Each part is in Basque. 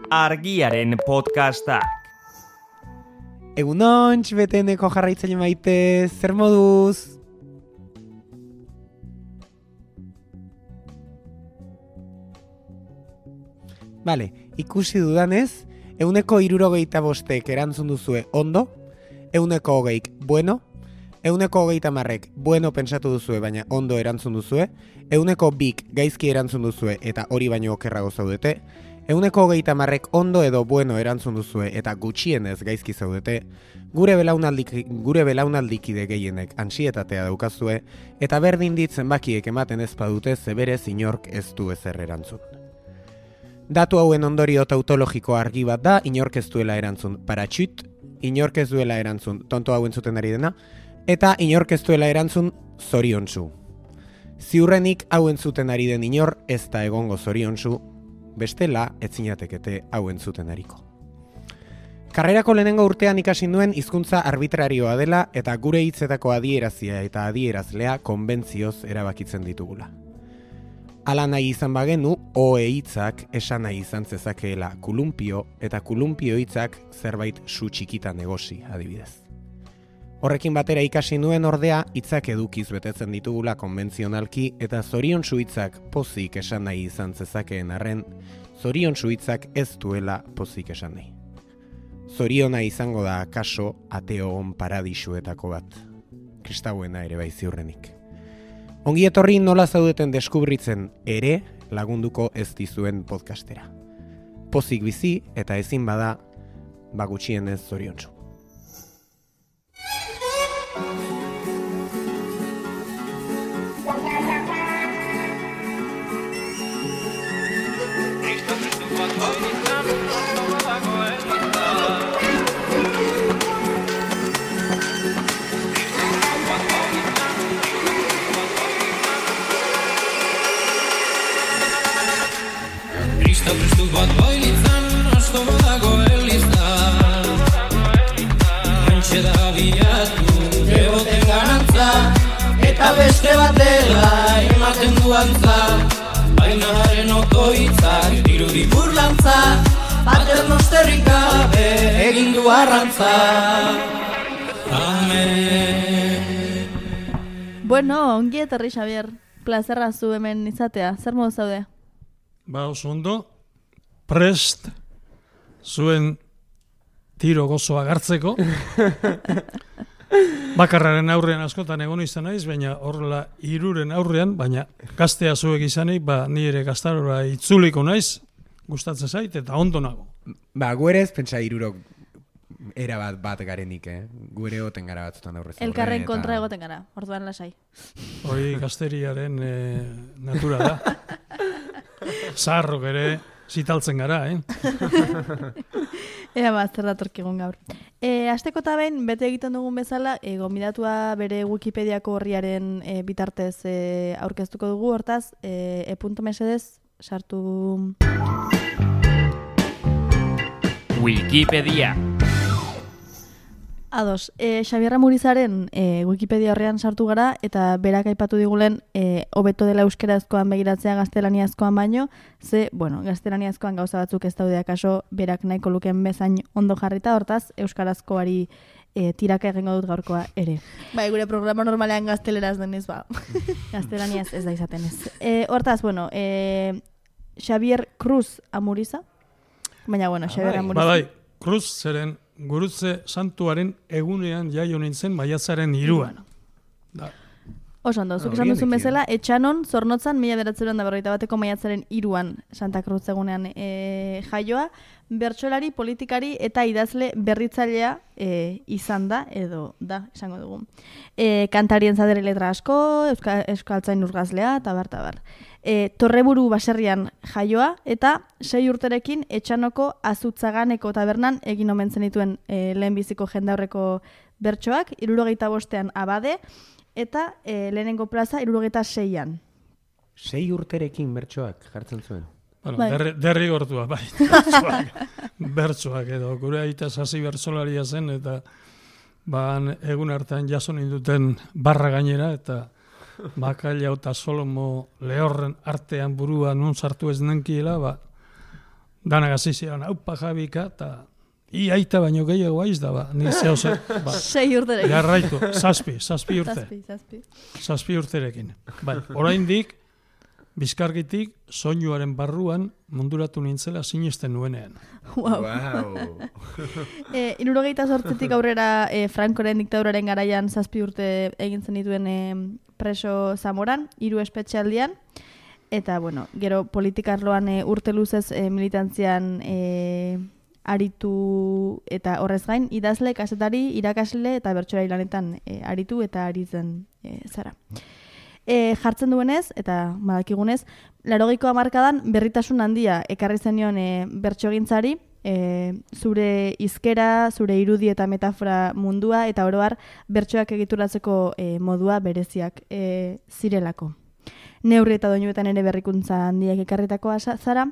Argiaren podcastak. Egunon, beteneko jarraitzaile maite, zer moduz? Bale, ikusi dudanez, 165 erantzun duzue ondo, 120 bueno, 130 bueno pentsatu duzue, baina ondo erantzun duzue, 102 gaizki erantzun duzue eta hori baino okerrago zaudete, 130 ondo edo bueno erantzun duzue eta gutxienez gaizki zaudete, gure belaunaldikide gehienek antsietatea daukazue, eta berdin ditzen bakiek ematen ez badute zeberez inork ez du ezer erantzun. Datu hauen ondorio tautologiko argi bat da, inork ez duela erantzun paratxut, inork ez duela erantzun tonto hauen zuten ari dena, eta inork ez duela erantzun zoriontsu. Ziurrenik hauen zuten ari den inor ez da egongo zoriontsu, bestela etzinatekete hauen zuten ariko. Karrerako lehenengo urtean ikasi nuen hizkuntza arbitrarioa dela eta gure hitzetako adierazia eta adierazlea konbentzioz erabakitzen ditugula. Hala nahi izan bagenu, oe hitzak esan nahi izan zezakeela kulumpio eta kulumpio hitzak zerbait su txikitan egosi adibidez. Horrekin batera ikasi nuen ordea hitzak edukiz betetzen ditugula konbentzionalki eta zoriontsu hitzak pozik esan nahi izan zezakeen arren, zoriontsu hitzak ez duela pozik esan nahi. Zoriona izango da akaso ateo on paradisuetako bat. Kristauena ere bai ziurrenik. Ongi etorri nola zaudeten deskubritzen ere lagunduko ez dizuen podcastera. Pozik bizi eta ezin bada gutxienez zoriontsu. Prestu bat bailitzan, asko badago elizan. Antxe da bilatu, eboten garantza, eta beste batela ematen duantza. Baina haren otoitzak, dirudi burlantza, paternosterrik gabe egin du arrantza. Amen. Bueno, ongi etorri Xabier, plazerra zu hemen izatea, zer modu zaude? Oso ondo, prest zuen tiro gozoa gartzeko. Bakarraren aurrean askotan egon izan naiz, baina horrela hiruren aurrean, baina gaztea zuek izanik, ni ere gaztarora itzuliko naiz, gustatzen zait, eta ondo nago. Guerez, pentsa hirurok era bat garenik, Guere oten gara batzutan aurrez. Elkarren kontra egoten gara, orduan lasai. Hori gazteriaren natura da. Zaharrok ere zitaltzen gara, Ea zer datorkigun gaur. Asteko eta behin, bete egiten dugun bezala, gonbidatua bere Wikipediako horriaren bitartez aurkeztuko dugu, hortaz, e.mesedez sartu... Wikipedia. Ados, Xabier Amurizaren Wikipedia horrean sartu gara eta berak aipatu digulen hobeto dela euskerazkoan begiratzea gaztelaniazkoan baino, gaztelaniazkoan gauza batzuk ez daude akaso berak nahiko lukeen bezain ondo jarrita, hortaz euskarazkoari tiraka egingo dut gaurkoa ere. Bai, gure programa normalean gazteleraz denez, gaztelaniaz ez da izaten ez. Hortaz, Xabier Cruz Amuriza, baina Xabier Amuriza. Bai, Cruz zeren Gurutze santuaren egunean jaio nintzen maiatzaren 3an. Oso ondo, zuk esan duzun bezala, Etxanon, Zornotzan, 1941 maiatzaren 3an Santa Cruz egunean jaioa, bertsolari, politikari eta idazle berritzailea izan da, edo da, esango dugu. Kantarien zadere letra asko, euskaltzain urgazlea, eta bar. Torreburu baserrian jaioa eta 6 urterekin Etxanoko Azutzaganeko tabernan egin omen zenituen lehenbiziko jendaurreko bertsoak, 75ean abade eta lehenengo plaza 76an. 6 urterekin bertsoak jartzen zuen. Derrigortua, bai. Bertsoak edo, gure aita sasi bertsolaria zen eta egun hartan jaso ninduten barra gainera eta Bakaila eta Solomo lehorren artean burua nun sartu ez nenkiela, danak azizian, haupa Javika, eta iaita baino gehiago aiz da, ba. Ni zehose, ba. 6 urterekin. Jarraitu, 7 urte. 7 urterekin. Bai, oraindik Bizkargitik soinuaren barruan munduratu nintzela sinesten nuenean. Wow. Hirurogeita zortzitik aurrera Francoren diktaduraren garaian 7 urte egin zenituen preso Zamoran, 3 espetxealdian, eta bueno, gero politikarloan urte luzez militantzian aritu eta horrez gain, idazle, kazetari, irakasle eta bertsolari lanetan aritu eta aritzen zara. Jartzen duenez, eta badakigunez, 80ko hamarkadan berritasun handia ekarri zenion bertsogintzari, zure hizkera, zure irudi eta metafora mundua, eta oro har bertsoak egituratzeko modua bereziak zirelako. Neurri eta doinuetan ere berrikuntza handiak ekarritakoa zara,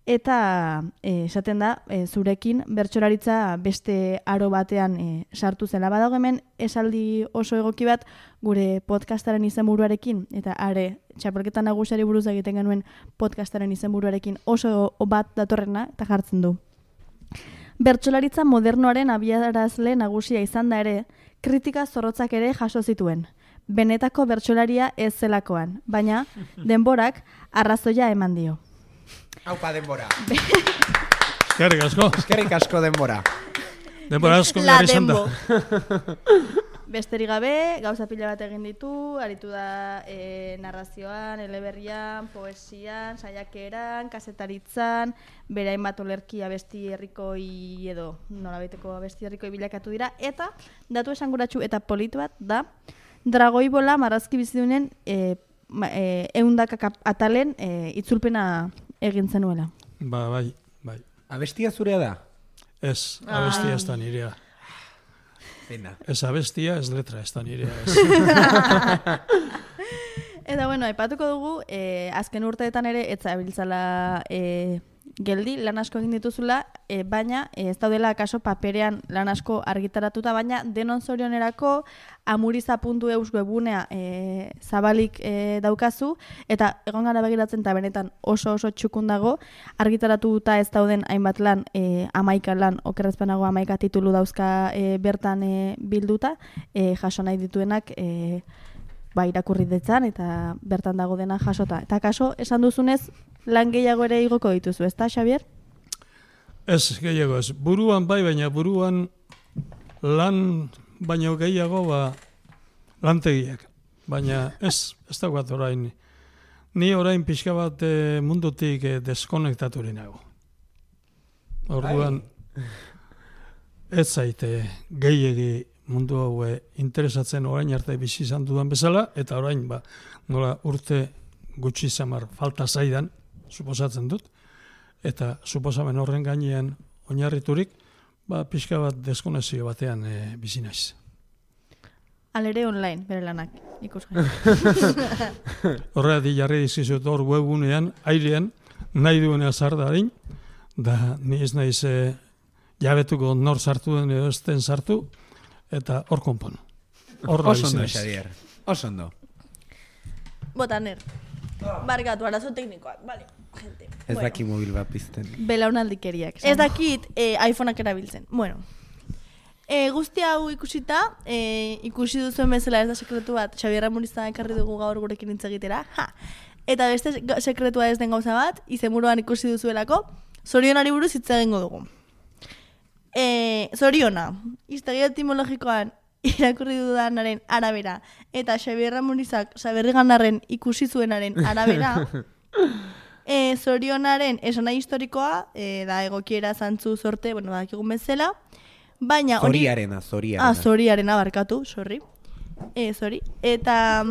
eta esaten da, zurekin bertsolaritza beste aro batean sartu zela. Badago hemen esaldi oso egoki bat gure podcastaren izenburuarekin, eta are txapelketa nagusiari buruz egiten genuen podcastaren izenburuarekin oso bat datorrena, eta jartzen du. Bertsolaritza modernoaren abiarazle nagusia izan da ere, kritika zorrotzak ere jaso zituen. Benetako bertsolaria ez zelakoan, baina denborak arrazoia eman dio. Aupa denbora. Eskerrik asko denbora. Denbora asko behar izan da. Besterik gabe, gauza pila bat egin ditu, aritu da narrazioan, eleberrian, poesian, saiakeran, kazetaritzan, berain bat olerki abesti herrikoi edo nolabaiteko abesti herrikoi bilakatu dira, eta datu esanguratsu eta polit bat da, Dragoibola marrazki bizidunen eundaka atalen itzulpena egin zenuela. Bai. Abestia zurea da? Ez, abestia ez da nirea. Pena. Ez abestia, ez letra ez da nirea. Eta bueno, aipatuko dugu, azken urteetan ere, ez zabiltzala geldi, lan asko egin dituzula, baina ez daudela akaso paperean lan asko argitaratuta, baina denon zorionerako amuriza.eus webunea zabalik daukazu, eta egon gara begiratzen eta benetan oso txukun dago, argitaratuta ez dauden hainbat lan, 11 lan, okerrezpanago 11 titulu dauzka bertan bilduta, jaso nahi dituenak irakurri detzan eta bertan dago dena jasota. Eta kaso, esan duzunez, lan gehiago ere igoko dituzu, ezta, Xabier? Ez, gehiago ez. Buruan bai, baina buruan lan baino gehiago lantegiak. Baina ez daukat orain. Ni orain pixka bat mundutik deskonektaturik nago. Orduan, ez zaite gehiegi mundu hau interesatzen orain arte bizi izan dudan bezala, eta orain nola urte gutxi zamar falta zaidan, suposatzen dut, eta suposamen horren gainean oinarriturik, pixka bat deskonexio batean bizi naiz. Alere online, bere lanak, ikusgai. Horregatik jarri dizkizut hor webunean, airean, nahi duena zardarin, da ni ez naiz jabetuko nor sartu den edo ez den sartu, eta hor konpon. Oso ondo, Xavier. Oso ondo. Botaner. Barkatu, arazo teknikoak. Vale, gente. Ez daki mobil bat pizten. Belaunaldikeriak. Ez dakit iPhoneak erabiltzen. Bueno. Guzti hau ikusita, ikusi duzuen bezala ez da sekretu bat, Xabier Amuriza ekarri dugu gaur gurekin hitz egitera. Eta beste sekretua ez den gauza bat, izenburuan ikusi duzuelako, zorionari buruz hitz egingo dugu. Zoriona, historia etimologikoan irakurri dudanaren arabera, eta Xabier Amurizak Saberrigandarren ikusi zuenaren arabera, zorionaren esanahi historikoa, da egokiera zantzu zorte, dakigun bezala, baina Zoriarena. Zoriarena barkatu, sorry. Sorry. Eta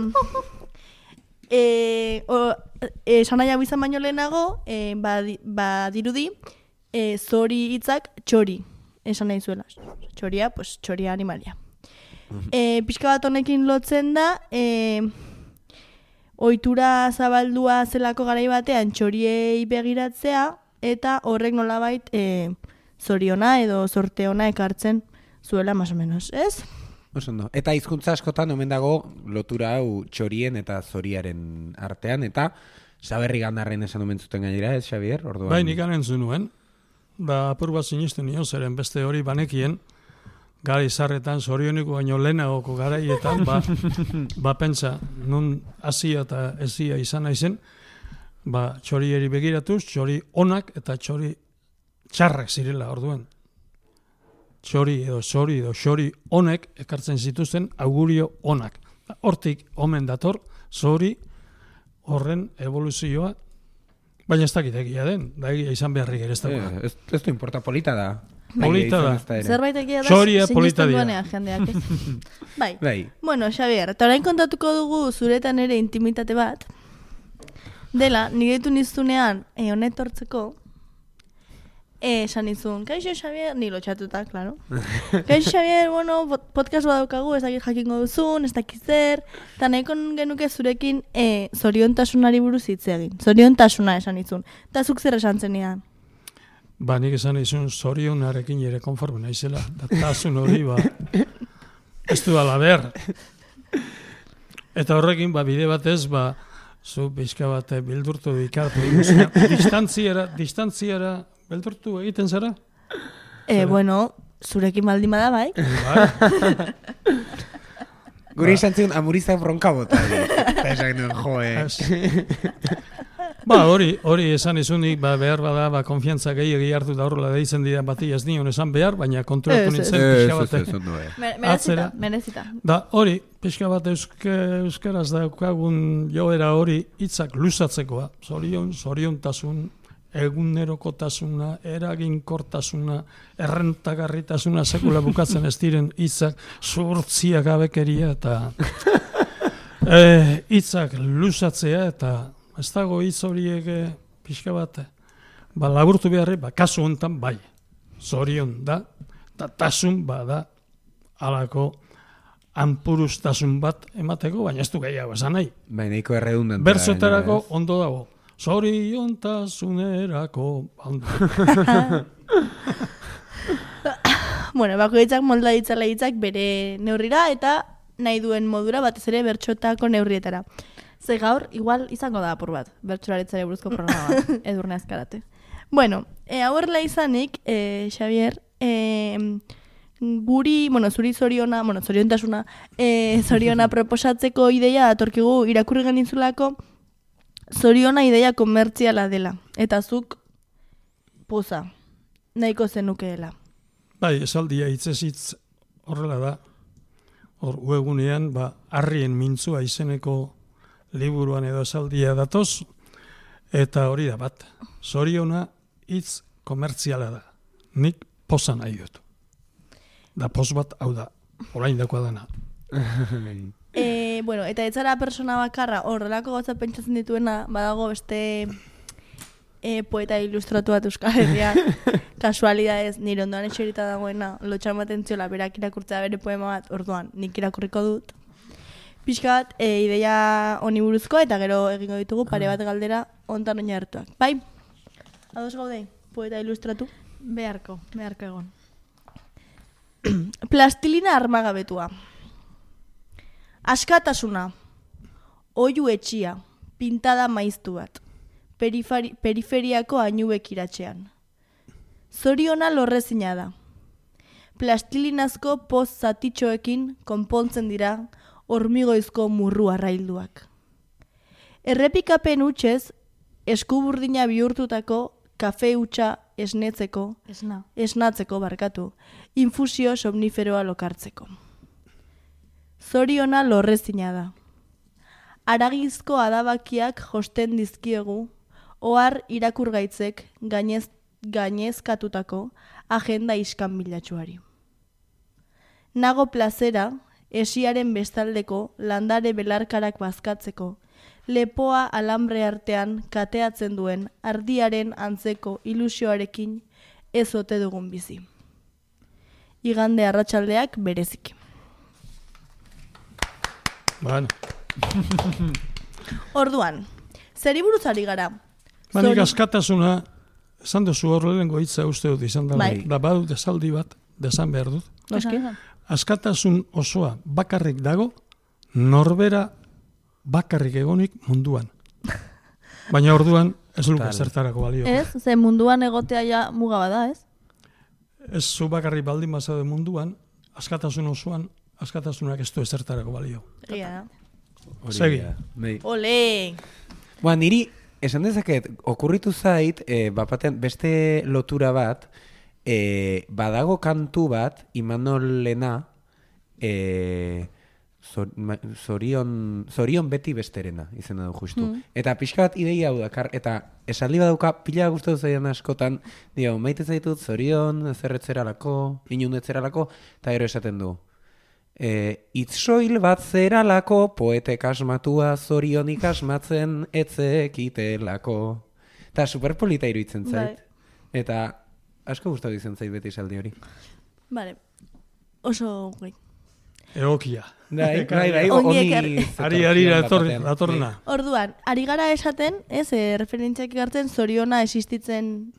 esanahi hau izan baino lehenago, badirudi, zori hitzak txori esan nahi zuela. Txoria, pues txoria animalia. Pixka bat honekin lotzen da, ohitura zabaldua zelako garai batean txoriei begiratzea, eta horrek nolabait zoriona edo zorteona ekartzen zuela, más o menos, ez? Osondo. Eta hizkuntza askotan omen dago lotura hau txorien eta zoriaren artean, eta Zaberri gandarren esan omen zuten gainera, ez, Xavier? Orduan... Bai, nik anentzun nuen. Da, apur bat sinisten nio, zeren beste hori banekien, gara izarretan, zorioniko baino lehenagoko garaietan, ba pentsa, nun hasia eta ezia izan naizen, ba, txorieri begiratuz, txori onak eta txori txarrak zirela orduan. Txori honek ekartzen zituzten augurio onak. Hortik omen dator, zori horren evoluzioa, baina ez dakit egia den, da egia izan beharrik ere ez dagoen. Ez du importa, polita da. Polita da. Zerbait egia da, Zoria polita sinisten dira. duenean jendeak, ez? Bai. Bai. Bueno, Xavier, eta orain kontatuko dugu zuretan ere intimitate bat, dela, nire ditu niztunean, honetortzeko, esan izun, kaixo Xavier, ni lotxatuta, claro. Kaixo Xavier, bueno, podcast bat daukagu, ez dakit jakingo duzun, ez dakit zer, eta nahiko genuke zurekin zoriontasunari buruz hitz egin. Zoriontasuna esan izun. Eta zuk zer esan zenian? Ba, nik esan izun zorionarekin ere konforme naizela, da tasun hori, ba, ez du alaber. Eta horrekin, ba, bide batez, ba, zu pixka bat bildurtu dikartu, distantziara beldurtu egiten zara? Bueno, zurekin baldin bada bai. Gure izan zion amurizak bronka bota. Eta esan genuen, Ba, hori esan izunik, ba, behar bada, ba, konfiantza gehiagi hartu da horrela deitzen dira bati ez nion esan behar, baina kontrolatu nintzen pixka bat. Merezita. Da, hori, pixka bat euskaraz daukagun joera hori hitzak luzatzekoa. Zoriontasun, egunerokotasuna, eraginkortasuna, errentagarritasuna sekula bukatzen ez diren hitzak, zuhurtzia gabekeria eta hitzak luzatzea eta ez dago hitz horiek pixka bat, ba, laburtu beharri, ba, kasu honetan bai, zorion da, eta tasun bada alako anpurustasun bat emateko, baina ez du gehiago esan nahi. Baina nahiko erredundantea. Berzoetarako ondo dago. Zoriontasunerako ondo. Bueno, bakoitzak molda ditzala hitzak bere neurrira eta nahi duen modura batez ere bertxotako neurrietara. Ze gaur, igual izango da apur bat, bertsolaritzari buruzko programa bat, Edurne Azkarate. Bueno, hauerla izanik, Xavier, guri, zuri zoriontasuna, zoriona proposatzeko ideia atorkigu irakurri genizulako, zoriona ideia komertziala dela, eta zuk poza, nahiko zenukeela. Bai, esaldia hitzez horrela da, hor uegunean, ba, Harrien mintzua izeneko liburuan edo esaldia datoz, eta hori da bat, zoriona hitz komertziala da, nik poza nahi dut. Da poz bat, hau da, orain dakoa dana. Bueno, eta ez zara persona bakarra, horrelako gauza pentsatzen dituena, badago beste poeta ilustratu bat Euskal Herrian, kasualidadez, nire ondoan etxerita dagoena, lotxan baten ziola, berak irakurtzea bere poema bat, orduan, nik irakurriko dut. Pixka bat, ideia honi buruzko, eta gero egingo ditugu pare bat galdera ontan oina hartuak. Bai? Ados gaude, poeta ilustratu? Beharko egon. Plastilina armagabetua. Askatasuna. Oiu etxia. Pintada maiztu bat. Periferiako ainubek iratxean. Zoriona lorrezina da. Plastilinazko poz zatitxoekin konpontzen dira hormigoizko murru arrailduak. Errepikapen hutsez, eskuburdina bihurtutako kafe hutsa esnatzeko barkatu, infusio somniferoa lokartzeko. Zoriona lorrezina da. Aragizko adabakiak josten dizkiegu, ohar irakurgaitzek gainezkatutako agenda iskanbilatsuari. Nago plazera, esiaren bestaldeko landare belarkarak bazkatzeko, lepoa alambre artean kateatzen duen ardiaren antzeko ilusioarekin ez ote dugun bizi. Igande arratsaldeak bereziki. Bueno. Orduan, zeri buruz ari gara? Banik askatasuna, esan duzu horrelengo hitza uste dut izan da. Bai. Da badut esaldi bat, desan behar dut. Noski? Askatasun osoa bakarrik dago, norbera bakarrik egonik munduan. Baina orduan ez luke zertarako balio. Ez, ze munduan egotea ja muga bada, ez? Ez zu bakarrik baldin bazaude munduan, askatasun osoan, askatasunak ez du ezertarako balio. Egia. Segi. Ole! Niri, esan dezaket, okurritu zait, bapaten beste lotura bat, badago kantu bat, Imanolena, Zorion beti besterena, izena du justu. Eta pixka bat ideia hau dakar, eta esaldi badauka pila gustatu zaidan askotan, dio, maite zaitut zorion, zerretzeralako, inundetzeralako, eta gero esaten du. Itzoil bat zeralako, poetek asmatua zorionik asmatzen etzekitelako. Eta superpolita iruditzen zait. Eta asko gustatu izan zait beti esaldi hori. Vale, oso goi. Egokia. Bai, Ari datorna. Orduan, ari gara esaten, ez, referentziak hartzen zoriona existitzen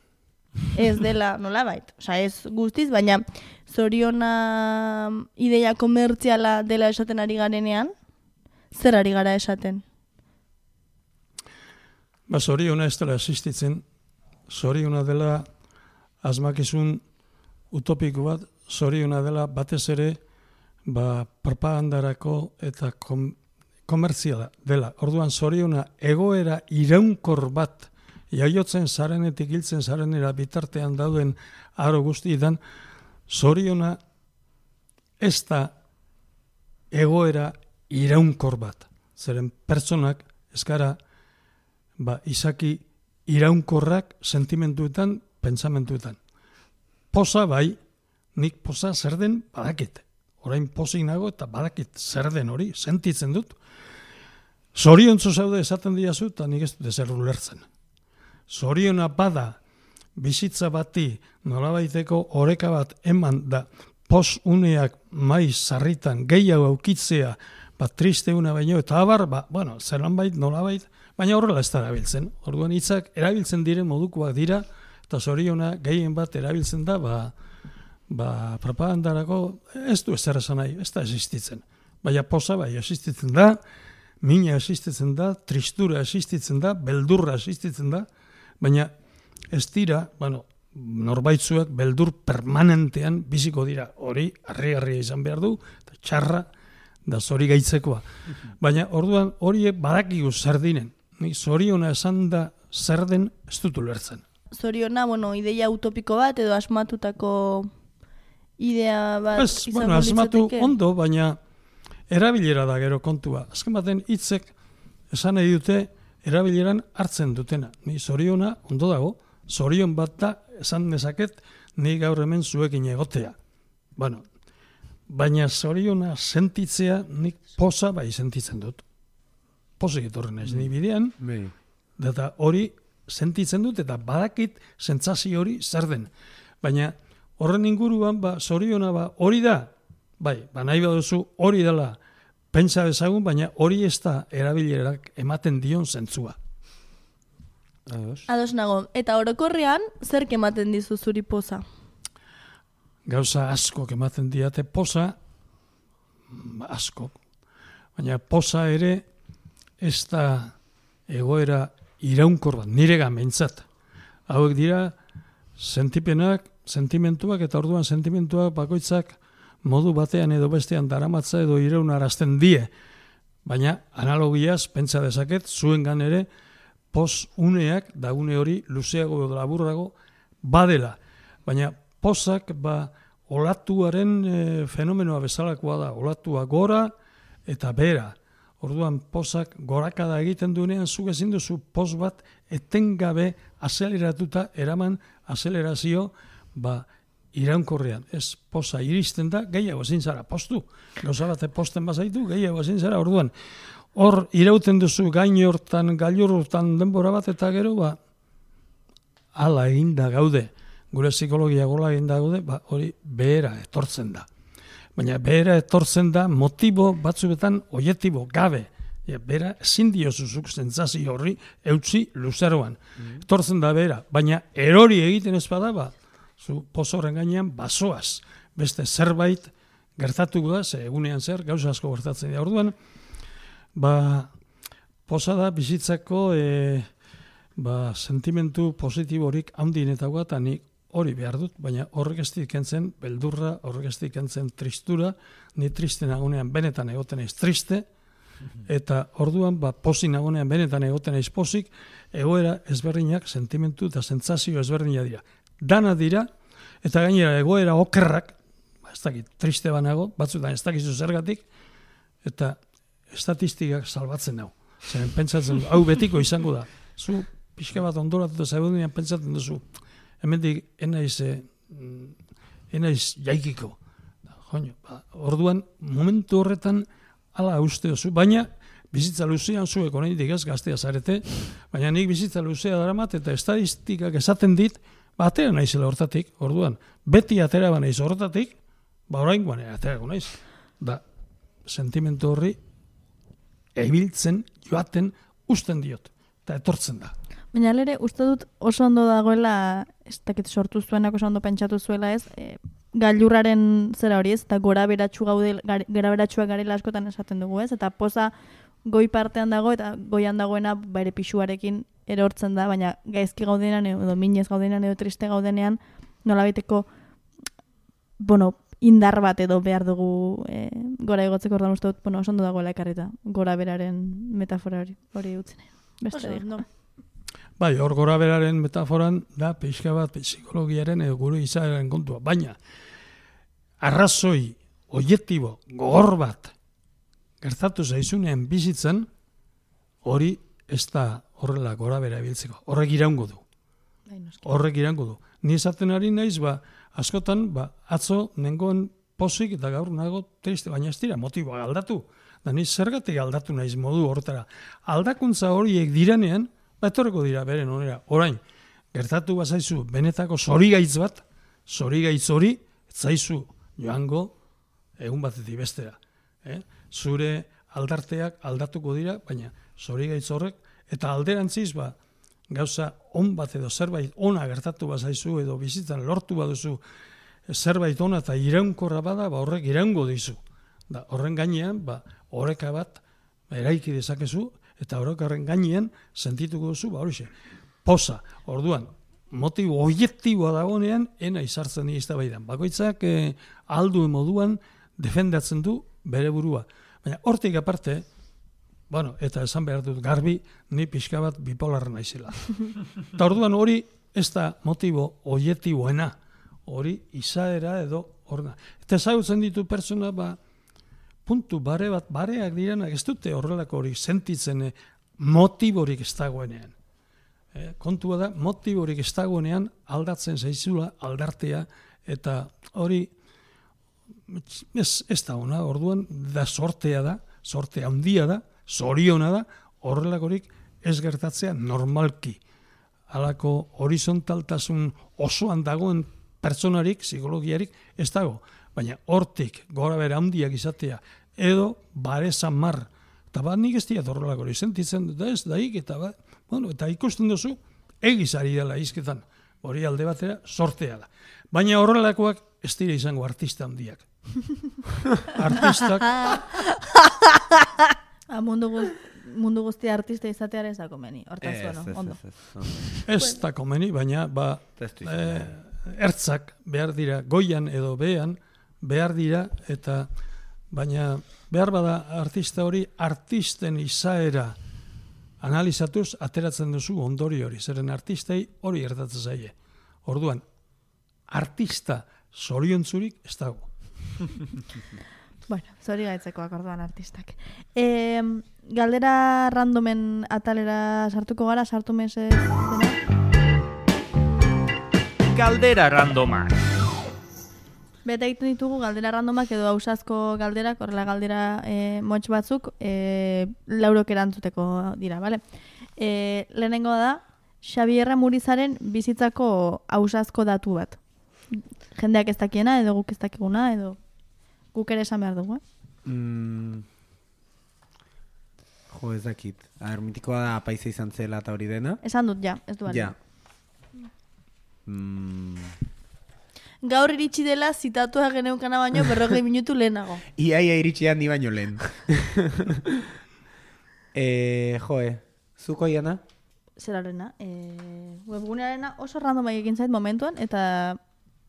ez dela nolabait. Osa, ez guztiz, baina zoriona ideia komertziala dela esaten ari garenean, zer ari gara esaten? Zoriona ez dela existitzen, zoriona dela asmakizun utopiko bat, zoriona dela batez ere propagandarako eta komertziala dela. Orduan zoriona egoera iraunkor bat jaiotzen zarenetik hiltzen zarenera bitartean dauden aro guztietan, zoriona ez da egoera iraunkor bat. Zeren pertsonak eskara izaki iraunkorrak sentimentuetan, pentsamentuetan. Poza bai, nik poza zer den badakit. Orain pozik nago eta badakit zer den hori, sentitzen dut. Zoriontzu zaude esaten diazu eta nik ez dut ezer ulertzen. Zoriona bada bizitza bati nolabaiteko oreka bat eman da pos uneak maiz sarritan gehiago aukitzea triste una baino eta abar, zelan bait, nolabait, baina horrela ez da erabiltzen. Orduan hitzak erabiltzen diren modukoak dira eta zoriona gehien bat erabiltzen da propagandarako ez du ezer esan nahi, ez da existitzen. Baina poza existitzen da, mina existitzen da, tristura existitzen da, beldurra existitzen da, baina ez dira, norbaitzuak beldur permanentean biziko dira. Hori, harri izan behar du, eta txarra da zori gaitzekoa. Baina orduan horiek badakigu zer dinen. Zoriona esan da zer den ez dut ulertzen. Zoriona, ideia utopiko bat edo asmatutako idea bat izango asmatu litzateke? Ondo, baina erabilera da gero kontua. Azken baten hitzek esan nahi dute erabileran hartzen dutena. Ni zoriona ondo dago, zorion bat da esan dezaket ni gaur hemen zuekin egotea. Baina zoriona sentitzea nik poza sentitzen dut. Pozik etorren ez ni bidean, eta hori sentitzen dut eta badakit sentsazio hori zer den. Baina horren inguruan, zoriona hori da, nahi baduzu hori dela pentsa dezagun, baina hori ez da erabilerak ematen dion zentzua. Ados nago, eta orokorrean, zerk ematen dizu zuri poza? Gauza askok ematen diate poza, askok. Baina poza ere ez da egoera iraunkor bat, nire gamentzat. Hauek dira sentipenak, sentimentuak eta orduan sentimentuak bakoitzak modu batean edo bestean daramatza edo iraunarazten die. Baina analogiaz pentsa dezaket zuengan ere pos uneak da une hori luzeago edo laburrago badela. Baina pozak olatuaren fenomenoa bezalakoa da. Olatua gora eta bera. Orduan pozak gorakada egiten duenean zuk ezin duzu poz bat etengabe azeleratuta eraman azelerazio iraunkorrean. Ez poza iristen da, gehiago ezin zara postu. Gauza bate posten bazaitu, gehiago ezin zara. Orduan, hor irauten duzu gainortan, gailurtan denbora bat eta gero, ala eginda gaude. Gure psikologia gola eginda gaude, hori behera etortzen da. Baina behera etortzen da motibo batzuetan oietibo gabe. Behera ezin diozuzuk sentsazio horri eutzi luzeroan. Etortzen da behera, baina erori egiten ez bada, zu pozoren gainean basoaz. Beste zerbait gertatuko da, ze egunean zer, gauza asko gertatzen da. Orduan, poza da bizitzako sentimentu positiborik handienetakoa, eta nik hori behar dut, baina horrek ez dikentzen beldurra, horrek ez dikentzen tristura, ni triste nagonean benetan egoten naiz triste, eta orduan posi nagonean benetan egoten naiz posik, egoera ezberdinak, sentimentu eta sentsazio ezberdinak dira. Dana dira, eta gainera egoera okerrak, ez dakit, triste banago, batzutan ez dakizu zergatik, eta estatistikak salbatzen hau. Zeren pentsatzen du, hau betiko izango da. Zu pixka bat ondoratuta zaudenean pentsatzen duzu, hemendik enaiz jaikiko. Orduan, momentu horretan hala uste duzu, baina bizitza luzean zuek oraindik ez gaztea zarete, baina nik bizitza luzea daramat eta estadistikak esaten dit, atera naizela hortatik, orduan, beti atera banaiz hortatik, oraingoan aterako naiz. Da, sentimentu horri ebiltzen, joaten, usten diot, eta etortzen da. Baina lere, uste dut oso ondo dagoela, ez dakit sortu zuenak oso ondo pentsatu zuela ez, gailurraren zera hori ez, eta gora beratxua garela askotan esaten dugu ez, eta poza goi partean dago, eta goian dagoena bere pixuarekin erortzen da, baina gaizki gaudenean, edo minez gaudenean, edo triste gaudenean, nolabaiteko, indar bat edo behar dugu gora egotzeko ordan uste dut, oso ondo dagoela ekarrita, gora beraren metafora hori utzen. Beste dira. Bai, hor gora beraren metaforan da pixka bat psikologiaren edo gure izaeraren kontua. Baina, arrazoi, objektibo, gogor bat gertatu zaizunean bizitzen, hori ez da horrela gora bera biltzeko. Horrek iraungo du. Ni esaten ari naiz, askotan, atzo nengoen posik eta gaur nago triste, baina ez dira motiboa aldatu. Da ni zergatik aldatu naiz modu horretara. Aldakuntza horiek diranean, etorreko dira beren onera. Orain, gertatu bazaizu benetako zorigaitz bat, zorigaitz hori, zaizu joango egun batetik bestera. Zure aldarteak aldatuko dira, baina zorigaitz horrek, eta alderantziz gauza on bat edo zerbait ona gertatu bazaizu edo bizitzan lortu baduzu zerbait ona eta iraunkorra bada, horrek iraungo dizu. Horren gainean, oreka bat eraiki dezakezu, eta horren gainean sentituko duzu, horixe, posa. Orduan, motibo objektiboa dagoenean, ena izartzen dira eztabaidan. Bakoitzak alduen moduan defendatzen du bere burua. Baina hortik aparte, eta esan behar dut garbi, ni pixka bat bipolarra naizela. Eta orduan hori ez da motibo objektiboena, hori izaera edo horna. Eta ezagutzen ditu pertsona, puntu bareak direnak ez dute horrelako hori sentitzen motiborik ez dagoenean. Kontua da, motiborik ez dagoenean aldatzen zaizula aldartea, eta hori ez da ona, orduan da sortea da, sorte handia da, zoriona da, horrelakorik ez gertatzea normalki. Halako horizontaltasun osoan dagoen pertsonarik, psikologiarik ez dago. Baina hortik gora bera handiak izatea, edo bare samar, eta nik ez diat horrelako hori sentitzen dut ez, daik, eta ikusten duzu, egizari dela izketan, hori alde batera sortea da. Baina horrelakoak ez dira izango artista handiak. Artistak... Mundu guztia artista izatearen ez da komeni, hortaz ondo. Ez da komeni, baina ertzak behar dira, goian edo behean, behar dira, eta baina behar bada artista hori, artisten izaera analizatuz ateratzen duzu ondori hori, zeren artistei hori gertatzen zaie. Orduan, artista zoriontzurik ez dago. Bueno, zori gaitzekoak orduan artistak. Galdera randomen atalera sartuko gara, sartu mesez dena? Galdera randomak. Beta egiten ditugu galdera randomak edo ausazko galderak, horrela galdera motx batzuk, laurok erantzuteko dira, bale? Lehenengo da, Xabierra Murizaren bizitzako ausazko datu bat. Jendeak ez dakiena, edo guk ez dakiguna, edo guk ere esan behar dugu, Jo, ez dakit. Mitikoa da apaiza izan zela eta hori dena. Esan dut, ja, ez du bali. Ja. Gaur iritsi dela zitatua geneukana baino 40 minutu lehenago. Iaia iritsi handi baino lehen. Zuko Iana? zerarena, webgunearena oso random egin zait momentuan, eta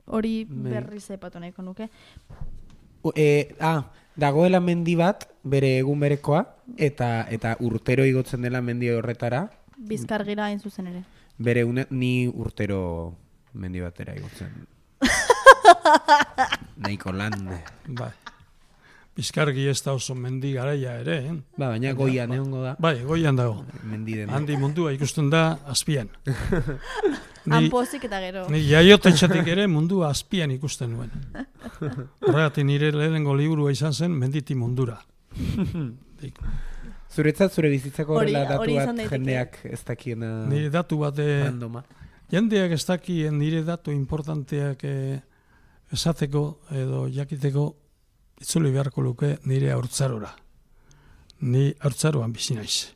hori berriz aipatu nahiko nuke. Dagoela mendi bat, bere egun berekoa, eta urtero igotzen dela mendi horretara. Bizkargira hain zuzen ere. Ni urtero mendi batera igotzen. Nahiko lan. Bai. Bizkargi ez da oso mendi garaia ere, Baina goian egongo da. Bai, goian dago. Handi mundua ikusten da azpian. Hanpozik eta gero. Ni jaiotetxetik ere mundua azpian ikusten nuen. Horregatik nire lehenengo liburua izan zen Menditi mundura. Zuretzat zure bizitzako horrela datu hori bat jendeak ez dakiena nire datu bat randoma. Jendeak ez dakien nire datu importanteak esateko edo jakiteko itzuli beharko luke nire haurtzarora. Ni haurtzaroan bizi naiz.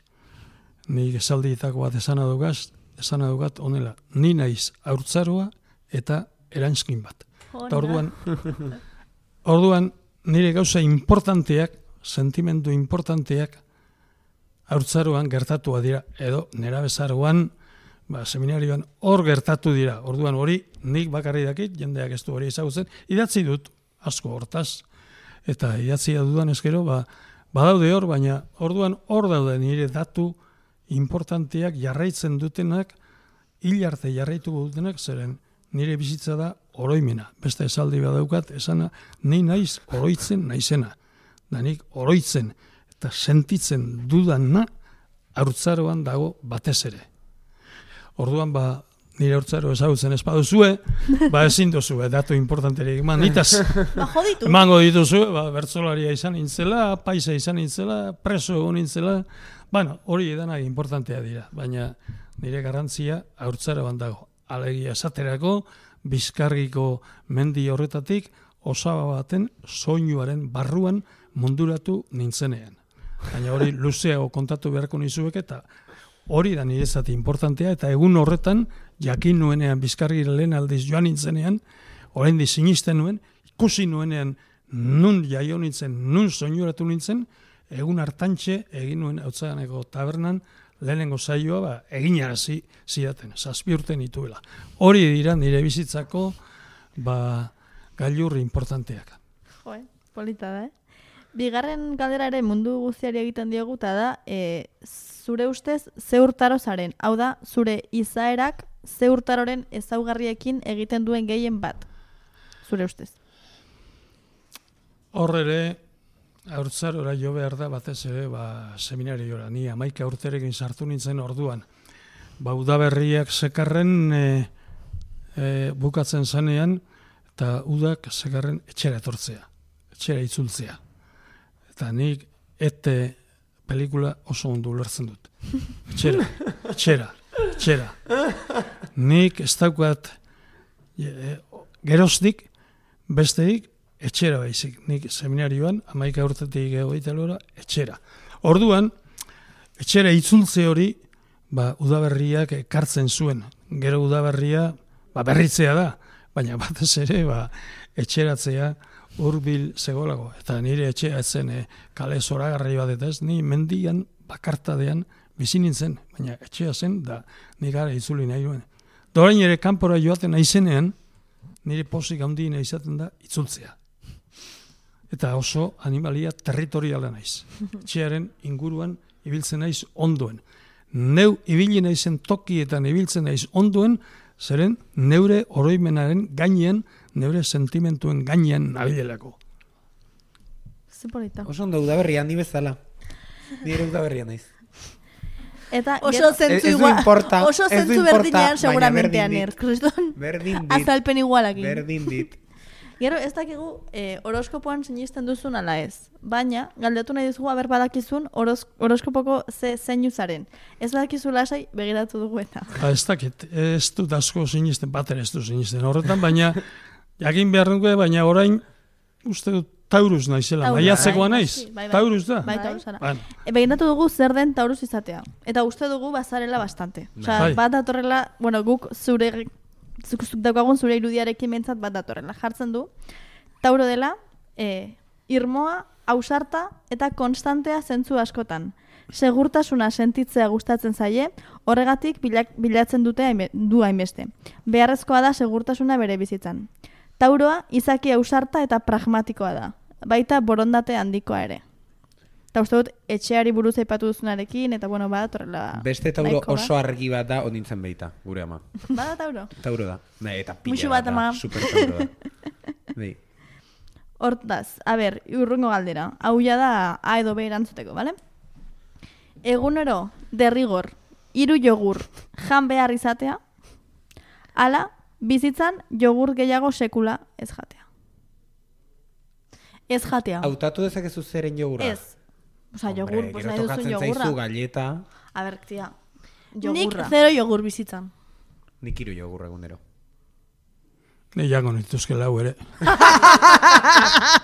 Ni esaldietako bat esana dugat honela. Ni naiz haurtzaroa eta eranskin bat. Eta orduan nire gauza importanteak, sentimendu importanteak haurtzaroan gertatua dira, edo nerabezaroan, seminarioan hor gertatu dira. Orduan hori nik bakarri dakit, jendeak ez du hori ezagutzen, idatzi dut asko hortaz, eta idatzia dudan ezkero, badaude hor, baina orduan hor daude nire datu importanteak jarraitzen dutenak, hil arte jarraituko dutenak, zeren nire bizitza da oroimena. Beste esaldi badaukat, esana, ni naiz oroitzen naizena. Da nik oroitzen eta sentitzen dudana haurtzaroan dago batez ere. Orduan nire haurtzaro ezagutzen ez baduzue, ezin duzue datu importanterik eman. Nitaz emango dituzue, bertsolaria izan nintzela, paisa izan nintzela, preso egon nintzela, hori edanak importantea dira, baina nire garrantzia haurtzaroan dago. Alegia esaterako, Bizkargiko mendi horretatik, osaba baten soinuaren barruan munduratu nintzenean. Baina hori luzeago kontatu beharko nizuek eta hori da nirezati importantea eta egun horretan jakin nuenean Bizkargira lehen aldiz joan nintzenean, oraindik sinisten nuen, ikusi nuenean nun jaio nintzen, nun soinuratu nintzen, egun hartantxe egin nuen Hautzaganeko tabernan lehenengo saioa eginarazi zidaten, 7 urte nituela. Hori dira nire bizitzako gailur importanteak. Polita da, Bigarren galdera ere mundu guztiari egiten diogu, eta da, zure ustez, ze urtaro zaren? Hau da, zure izaerak ze urtaroren ezaugarriekin egiten duen gehien bat? Zure ustez? Hor ere, haurtzarora jo behar da batez ere seminariora. Ni 11 urterekin sartu nintzen orduan. Udaberriak zekarren bukatzen zanean, eta udak zekarren etxera etortzea, etxera itzultzea. Eta nik pelikula oso ondo ulertzen dut. Etxera. Nik ez daukat geroztik, besteik, etxera baizik. Nik seminarioan, 11 urtetik egoitalora, etxera. Orduan, etxera itzultze hori, udaberriak ekartzen zuen. Gero udaberria, berritzea da, baina batez ere, etxeratzea hurbil zegolago. Eta nire etxea etzen kale zoragarri bat eta ez, ni mendian bakartadean bizi nintzen, baina etxea zen, da nik gara itzuli nahi duen. Dorain ere kanpora joaten naizenean, nire pozik handiena izaten da itzultzea. Eta oso animalia territoriala naiz. Etxearen inguruan ibiltzen naiz ondoen. Neu ibili naizen tokietan ibiltzen naiz ondoen, zeren neure oroimenaren gainean, neure sentimentuen gainean nabilelako. Zipolita. Oso ondo udaberria handi bezala. Nire udaberria naiz. Eta oso zentzu berdinean seguramente aner. Berdin dit. Azalpen igualakin. Berdin dit. Gero, ez dakigu horoskopoan sinisten duzun ala ez. Baina, galdetu nahi duzu haber badakizun horoskopoko zeinu zaren. Ez badakizu lasai begiratu dugu eta. Ez dakit, ez dut asko sinisten, bater ez du sinisten horretan, baina jakin behar dugu, baina orain uste dut Taurus naizela, maiatzekoa naiz. Taurus da. Bai, Taurus ara. Begiratu dugu zer den Taurus izatea. Eta uste dugu bazarela bastante. Osa, bat datorrela, guk zuk daukagun zure irudiarekin mentzat bat datorrela. Jartzen du, Tauro dela, irmoa, ausarta eta konstantea zentzu askotan. segurtasuna sentitzea gustatzen zaie, horregatik bilatzen dute du hainbeste. Beharrezkoa da segurtasuna bere bizitzan. Tauroa izaki ausarta eta pragmatikoa da, baita borondate handikoa ere. Eta uste dut, etxeari buruz aipatu duzunarekin, eta bueno, badatorrela... Beste tauro oso argi bat da onintzen baita, gure ama. Bada tauro? Tauro da. Eta Muxu pila bat, ama. da, super tauro da. Bai. Hortaz, urrungo galdera. Hau ja da A edo B erantzuteko, bale? Egunero, derrigor, 3 jogur, jan behar izatea, ala, bizitzan jogur gehiago sekula ez jatea. Ez jatea. Hautatu dezakezu zeren jogurra? Ez. Osa, jogur, pues nahi duzun jogurra. jogurra. Zaizu galleta. A ber, tia, Nik jogurra. 0 jogur bizitzan. Nik 3 jogurra egunero. Ni jango nituzke lau ere.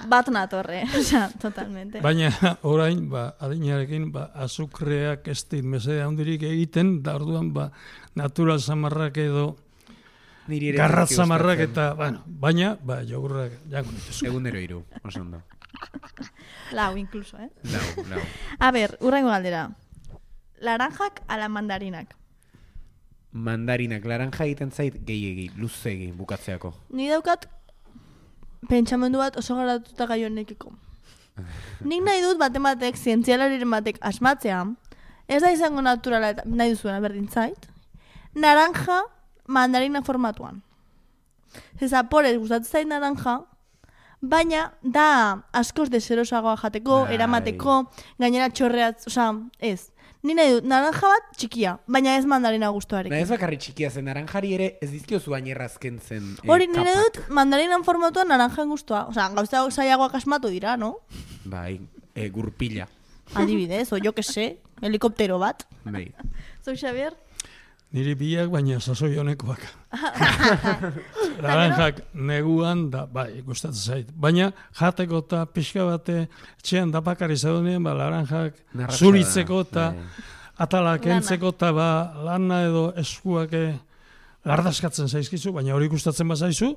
Bat natorre, osa, totalmente. Baina orain, adinarekin, azukreak ez dit mesede handirik egiten, da orduan, natural samarrak edo garrat samarrak eta, baina, jogurrak jango nituzke. Egunero 3, oso ondo. Lau, incluso, Lau. A ber, urrengo galdera. Laranjak ala mandarinak? Mandarinak, laranja egiten zait gehiegi, luzegi bukatzeako. Ni daukat pentsamendu bat oso garatuta gai honekiko. Nik nahi dut batek, zientzialariren batek asmatzea, ez da izango naturala eta nahi duzuena berdin zait, naranja mandarina formatuan. Zaporez gustatzen zait naranja, baina da askoz deserosagoa jateko, eramateko, gainera txorreatz, ez. Ni nahi dut, naranja bat txikia, baina ez mandarina gustuarekin. Ez bakarri txikia zen, naranjari ere ez dizkiozu baina errazken zen Hori, nire dut, mandarinan formatuan naranjan gustua. Osea, gauza zailagoak asmatu dira, no? Bai, gurpila. Adibidez, o jo que se, helikoptero bat. Bai. Zau, Xavier? Niri biak, baina sasoi honekoak. Laranjak neguan da, gustatzen zait. Baina jateko eta pixka bate etxean dapakari zaudenean, laranjak zuritzeko eta atalak entzeko eta lana edo eskuak lardaskatzen zaizkizu, baina hori gustatzen bazaizu,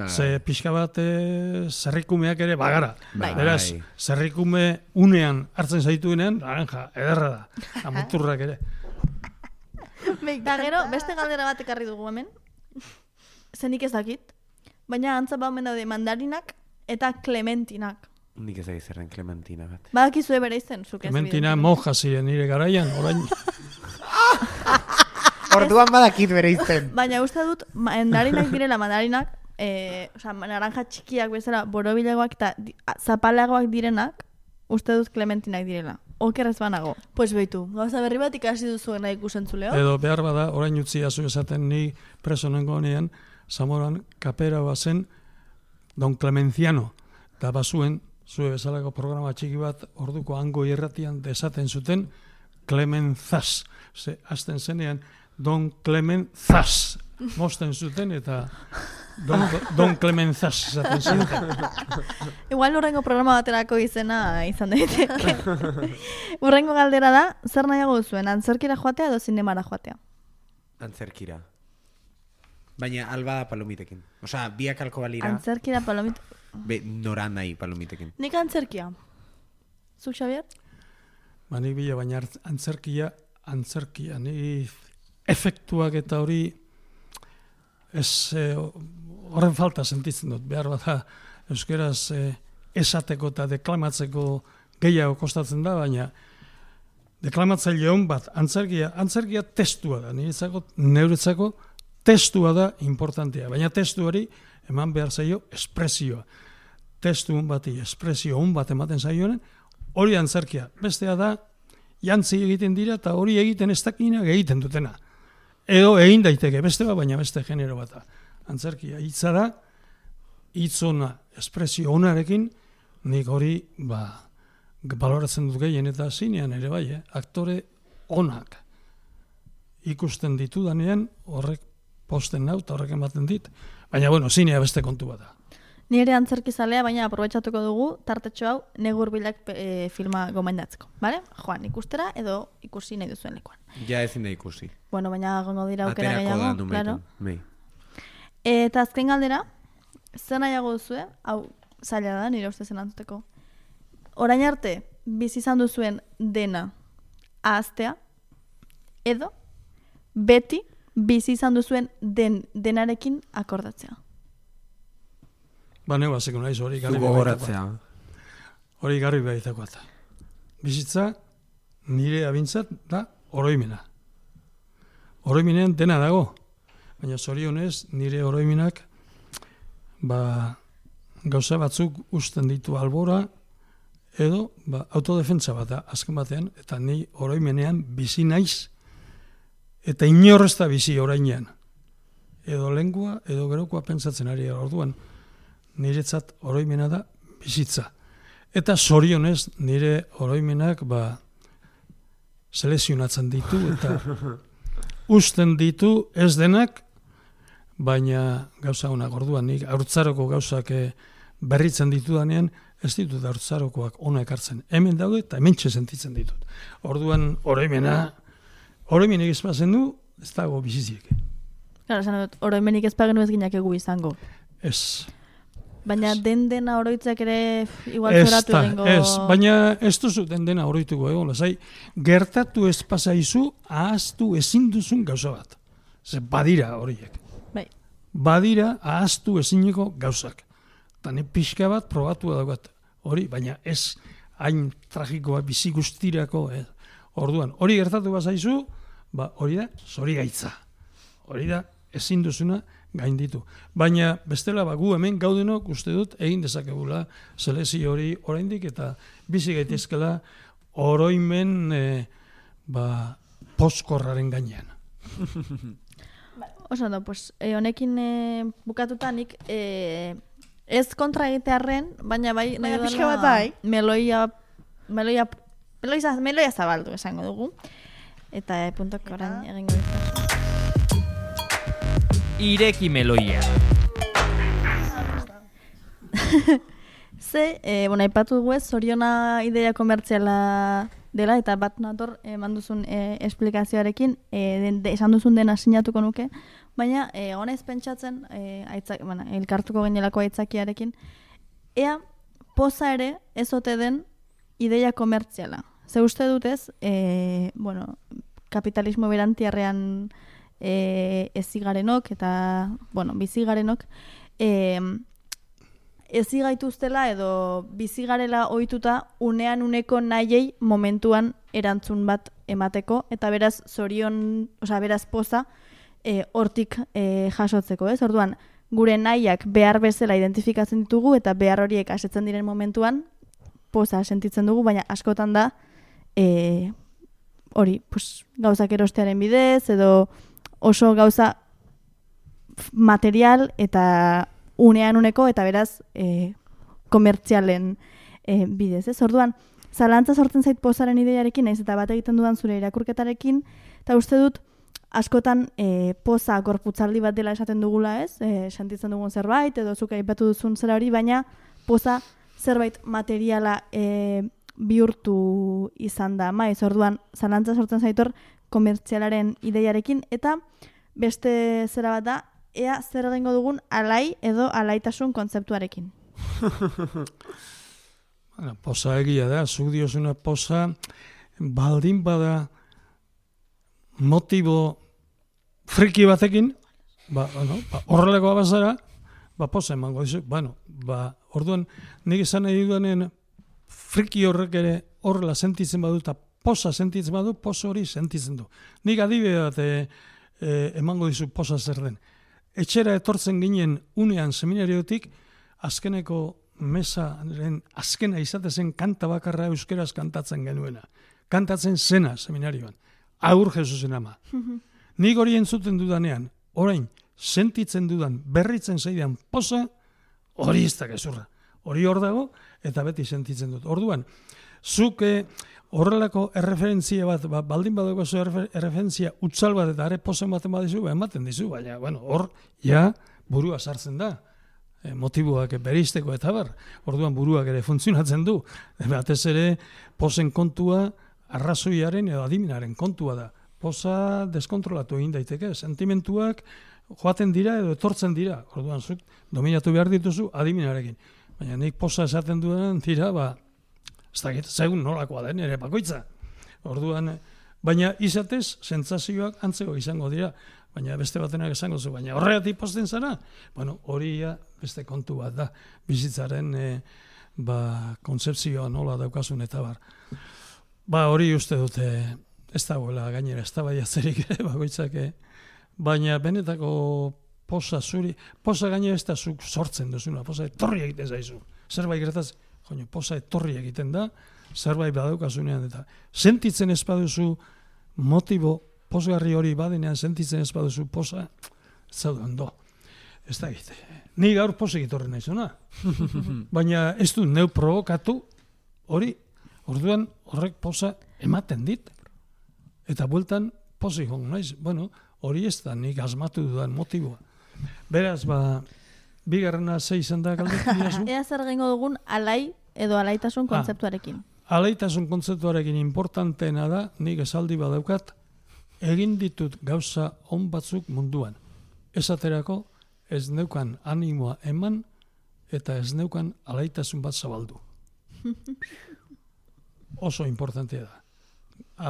ze pixka bate zerrikumeak ere bagara. Beraz, zerrikume unean hartzen zaituenean, laranja, ederra da, amuturrak ere. Da gero, beste galdera bat ekarri dugu hemen. Zenik ez dakit. Baina antza omen daude mandarinak eta clementinak. Nik ez dakit zerren clementina bat. Badakizue bere izen, zuk ez Clementina moja ziren nire garaian, orain. Orduan badakit bere izen. Baina uste dut, mandarinak direla, naranja txikiak bezala borobilegoak eta zapalagoak direnak, uste dut clementinak direla. Okerrez banago. Pues behitu, gauza berri bat ikasi duzuena ikusentzuleo. Edo behar bada, orain utzi azu esaten ni preso nengoenean, Zamoran kapera bazen Don Clemenciano. Da bazuen, zue bezalako programa txiki bat, orduko hango irratian desaten zuten Clemenzas. Azten zenean, Don Clemenzas. Mosten zuten eta Don Clemenzas esaten zuten. Igual urrengo programa baterako izena izan daiteke. Urrengo galdera da, zer nahiago duzuen, antzerkira joatea edo zinemara joatea? Antzerkira. Baina alba da palomitekin. Osea, biak alko balira. Antzerkira palomitekin. Nora nahi palomitekin. Nik antzerkia. Zuk, Xavier? Nik bila, baina antzerkia, ni efektuak eta hori horren falta sentitzen dut. Behar bat da, euskeraz esateko eta deklamatzeko gehiago kostatzen da, baina deklamatzaile hon bat, antzerkia testua da, neuretzako testua da importantea, baina testuari eman behar zaio espresioa. Testu hon bati espresio hon bat ematen zaioen, hori antzerkia. Bestea da, jantzi egiten dira eta hori egiten ez dakinak egiten dutena. Edo egin daiteke, beste bat, baina beste genero bat da. Antzerkia hitza da, hitzona espresio onarekin, nik hori baloratzen dut gehien eta zinean ere bai, aktore onak ikusten ditudanean horrek posten nau eta horrek ematen dit. Baina, zinea beste kontu bat da. Nire antzerkizalea, baina aprobetxatuko dugu tartetxo hau negurbilak filma gomendatzeko. Bale? Joan, ikustera edo ikusi nahi duzuen lekuan. Ja ezin da ikusi. Bueno, baina gongo dira aukera gehiago. Aterako da numeitan. Eta azken galdera, zer nahiago duzue? Hau, zaila da, nire uste zen antzuteko. Orain arte, bizi izan duzuen dena, ahaztea, edo beti bizi izan duzuen denarekin akordatzea. Ba, neu hasiko naiz hori garbi Gogoratzea. Hori garbi baitakoa. Bizitza nire abintzat da oroimena. Oroimenean dena dago, baina zorionez nire oroimenak gauza batzuk usten ditu albora edo autodefentsa bat da azken batean, eta ni oroimenean bizi naiz eta inor ez da bizi orainean. Edo lengua, edo gerokoa pentsatzen ari orduan, niretzat oroimena da bizitza. Eta zorionez nire oroimenak selezionatzen ditu eta usten ditu ez denak, baina gauza honak orduan nik haurtzaroko gauzak berritzen ditudanean ez ditut haurtzarokoak ona ekartzen. Hemen daude eta hementxe sentitzen ditut. Orduan oroimenik ez bazen du, ez dago biziziek. Gara, esan dut, oroimenik ez pagenu ez ginakegu izango. Ez. Baina dena oroitzak ere igual zoratu egingo... Ez, baina ez duzu dena oroituko egon, lasai, gertatu ez pasaizu, ahaztu ezin duzun gauza bat. Ze badira horiek. Bai. Badira ahaztu ezineko gauzak. Eta ne pixka bat probatu daukat hori, baina ez hain tragikoa bizi guztirako. Orduan, hori gertatu bazaizu, hori da zorigaitza. Hori da ezin duzuna gainditu. Baina bestela gu hemen gaudenok uste dut egin dezakegula selezio hori oraindik eta bizi gaitezkela oroimen poskorraren gainean. Oso ondo, pues honekin bukatutanik ez kontra egitearren, baina bai nahi pixka bat bai. Meloia zabaldu esango dugu. Eta puntok orain egingo ditu. Ireki meloia. Aipatu dugu ez, Zoriona ideia komertziala dela, eta bat nator eman duzun esplikazioarekin, esan duzun dena sinatuko nuke, baina honez pentsatzen, elkartuko genelako aitzakiarekin, ea poza ere ez ote den ideia komertziala. Ze uste dutez, kapitalismo berantiarrean ezigarenok eta, bizigarenok, ezigaituztela edo bizigarela ohituta unean uneko nahiei momentuan erantzun bat emateko, eta beraz beraz poza hortik jasotzeko, ez? Orduan, gure nahiak behar bezala identifikatzen ditugu eta behar horiek asetzen diren momentuan poza sentitzen dugu, baina askotan da gauzak erostearen bidez edo oso gauza material eta unean uneko eta beraz komertzialen bidez, ez? Orduan, zalantza sortzen zait pozaren ideiarekin, naiz eta bat egiten dudan zure irakurketarekin, eta uste dut askotan poza gorputzaldi bat dela esaten dugula, ez? Sentitzen dugun zerbait, edo zuk aipatu duzun zera hori, baina poza zerbait materiala bihurtu izan da, maiz, orduan, zalantza sortzen zaitor komertzialaren ideiarekin, eta beste zera bat da, ea zer egingo dugun alai edo alaitasun kontzeptuarekin. Poza egia da, zuk diozuna poza baldin bada motibo friki batekin, horrelakoa bazara, poza emango dizu. Orduan, nik esan nahi dudanen friki horrek ere horrela sentitzen badu eta poza sentitzen badu, poza hori sentitzen du. Nik adibide bat emango dizu poza zer den. Etxera etortzen ginen unean seminariotik, azkeneko mesaren azkena izatezen kanta bakarra euskeraz kantatzen genuena. Kantatzen zena seminarioan. Agur Jesusen ama. Nik hori entzuten dudanean, orain, sentitzen dudan, berritzen zaidan poza, hori ez da gezurra. Hori hor dago, eta beti sentitzen dut. Orduan, zuk horrelako erreferentzia bat, baldin badugu erreferentzia utzal bat eta are pozen baten badizu, ematen dizu, baina, hor, burua sartzen da. Motiboak beristeko eta bar. Orduan buruak ere funtzionatzen du. Batez ere, pozen kontua arrazoiaren edo adiminaren kontua da. Poza deskontrolatu egin daiteke. Sentimentuak joaten dira edo etortzen dira. Orduan, zuk dominatu behar dituzu adiminarekin. Baina nik poza esaten duen dira, ez dakit, segun nolakoa den ere bakoitza. Orduan, baina izatez, sentsazioak antzeko izango dira, baina beste batenak esango zu, baina horregatik pozten zara? Bueno, hori beste kontu bat da, bizitzaren kontzepzioa nola daukasun eta bar. Hori uste dute, ez dagoela gainera, ez da baiatzerik bakoitzak, baina benetako posa zuri, posa gainera ez da zuk sortzen duzuna, posa etorri egiten zaizu. Zerbait gertaz, posa etorri egiten da, zerbait badaukasunean eta sentitzen ez baduzu motibo posgarri hori badenean sentitzen ez baduzu posa, ez zaude ondo. Ez da egite. Ni gaur posik etorri naizuna. Baina ez du neu provokatu hori, orduan horrek posa ematen dit. Eta bueltan posik hongo naiz. Bueno, hori ez da nik asmatu dudan motiboa. Beraz, bigarrena zei izan da galdetu dirazu? Ea zer gengo dugun alai edo alaitasun kontzeptuarekin. Alaitasun kontzeptuarekin importanteena da, nik esaldi badaukat, egin ditut gauza on batzuk munduan. Esaterako ez neukan animoa eman eta ez neukan alaitasun bat zabaldu. Oso importantea da.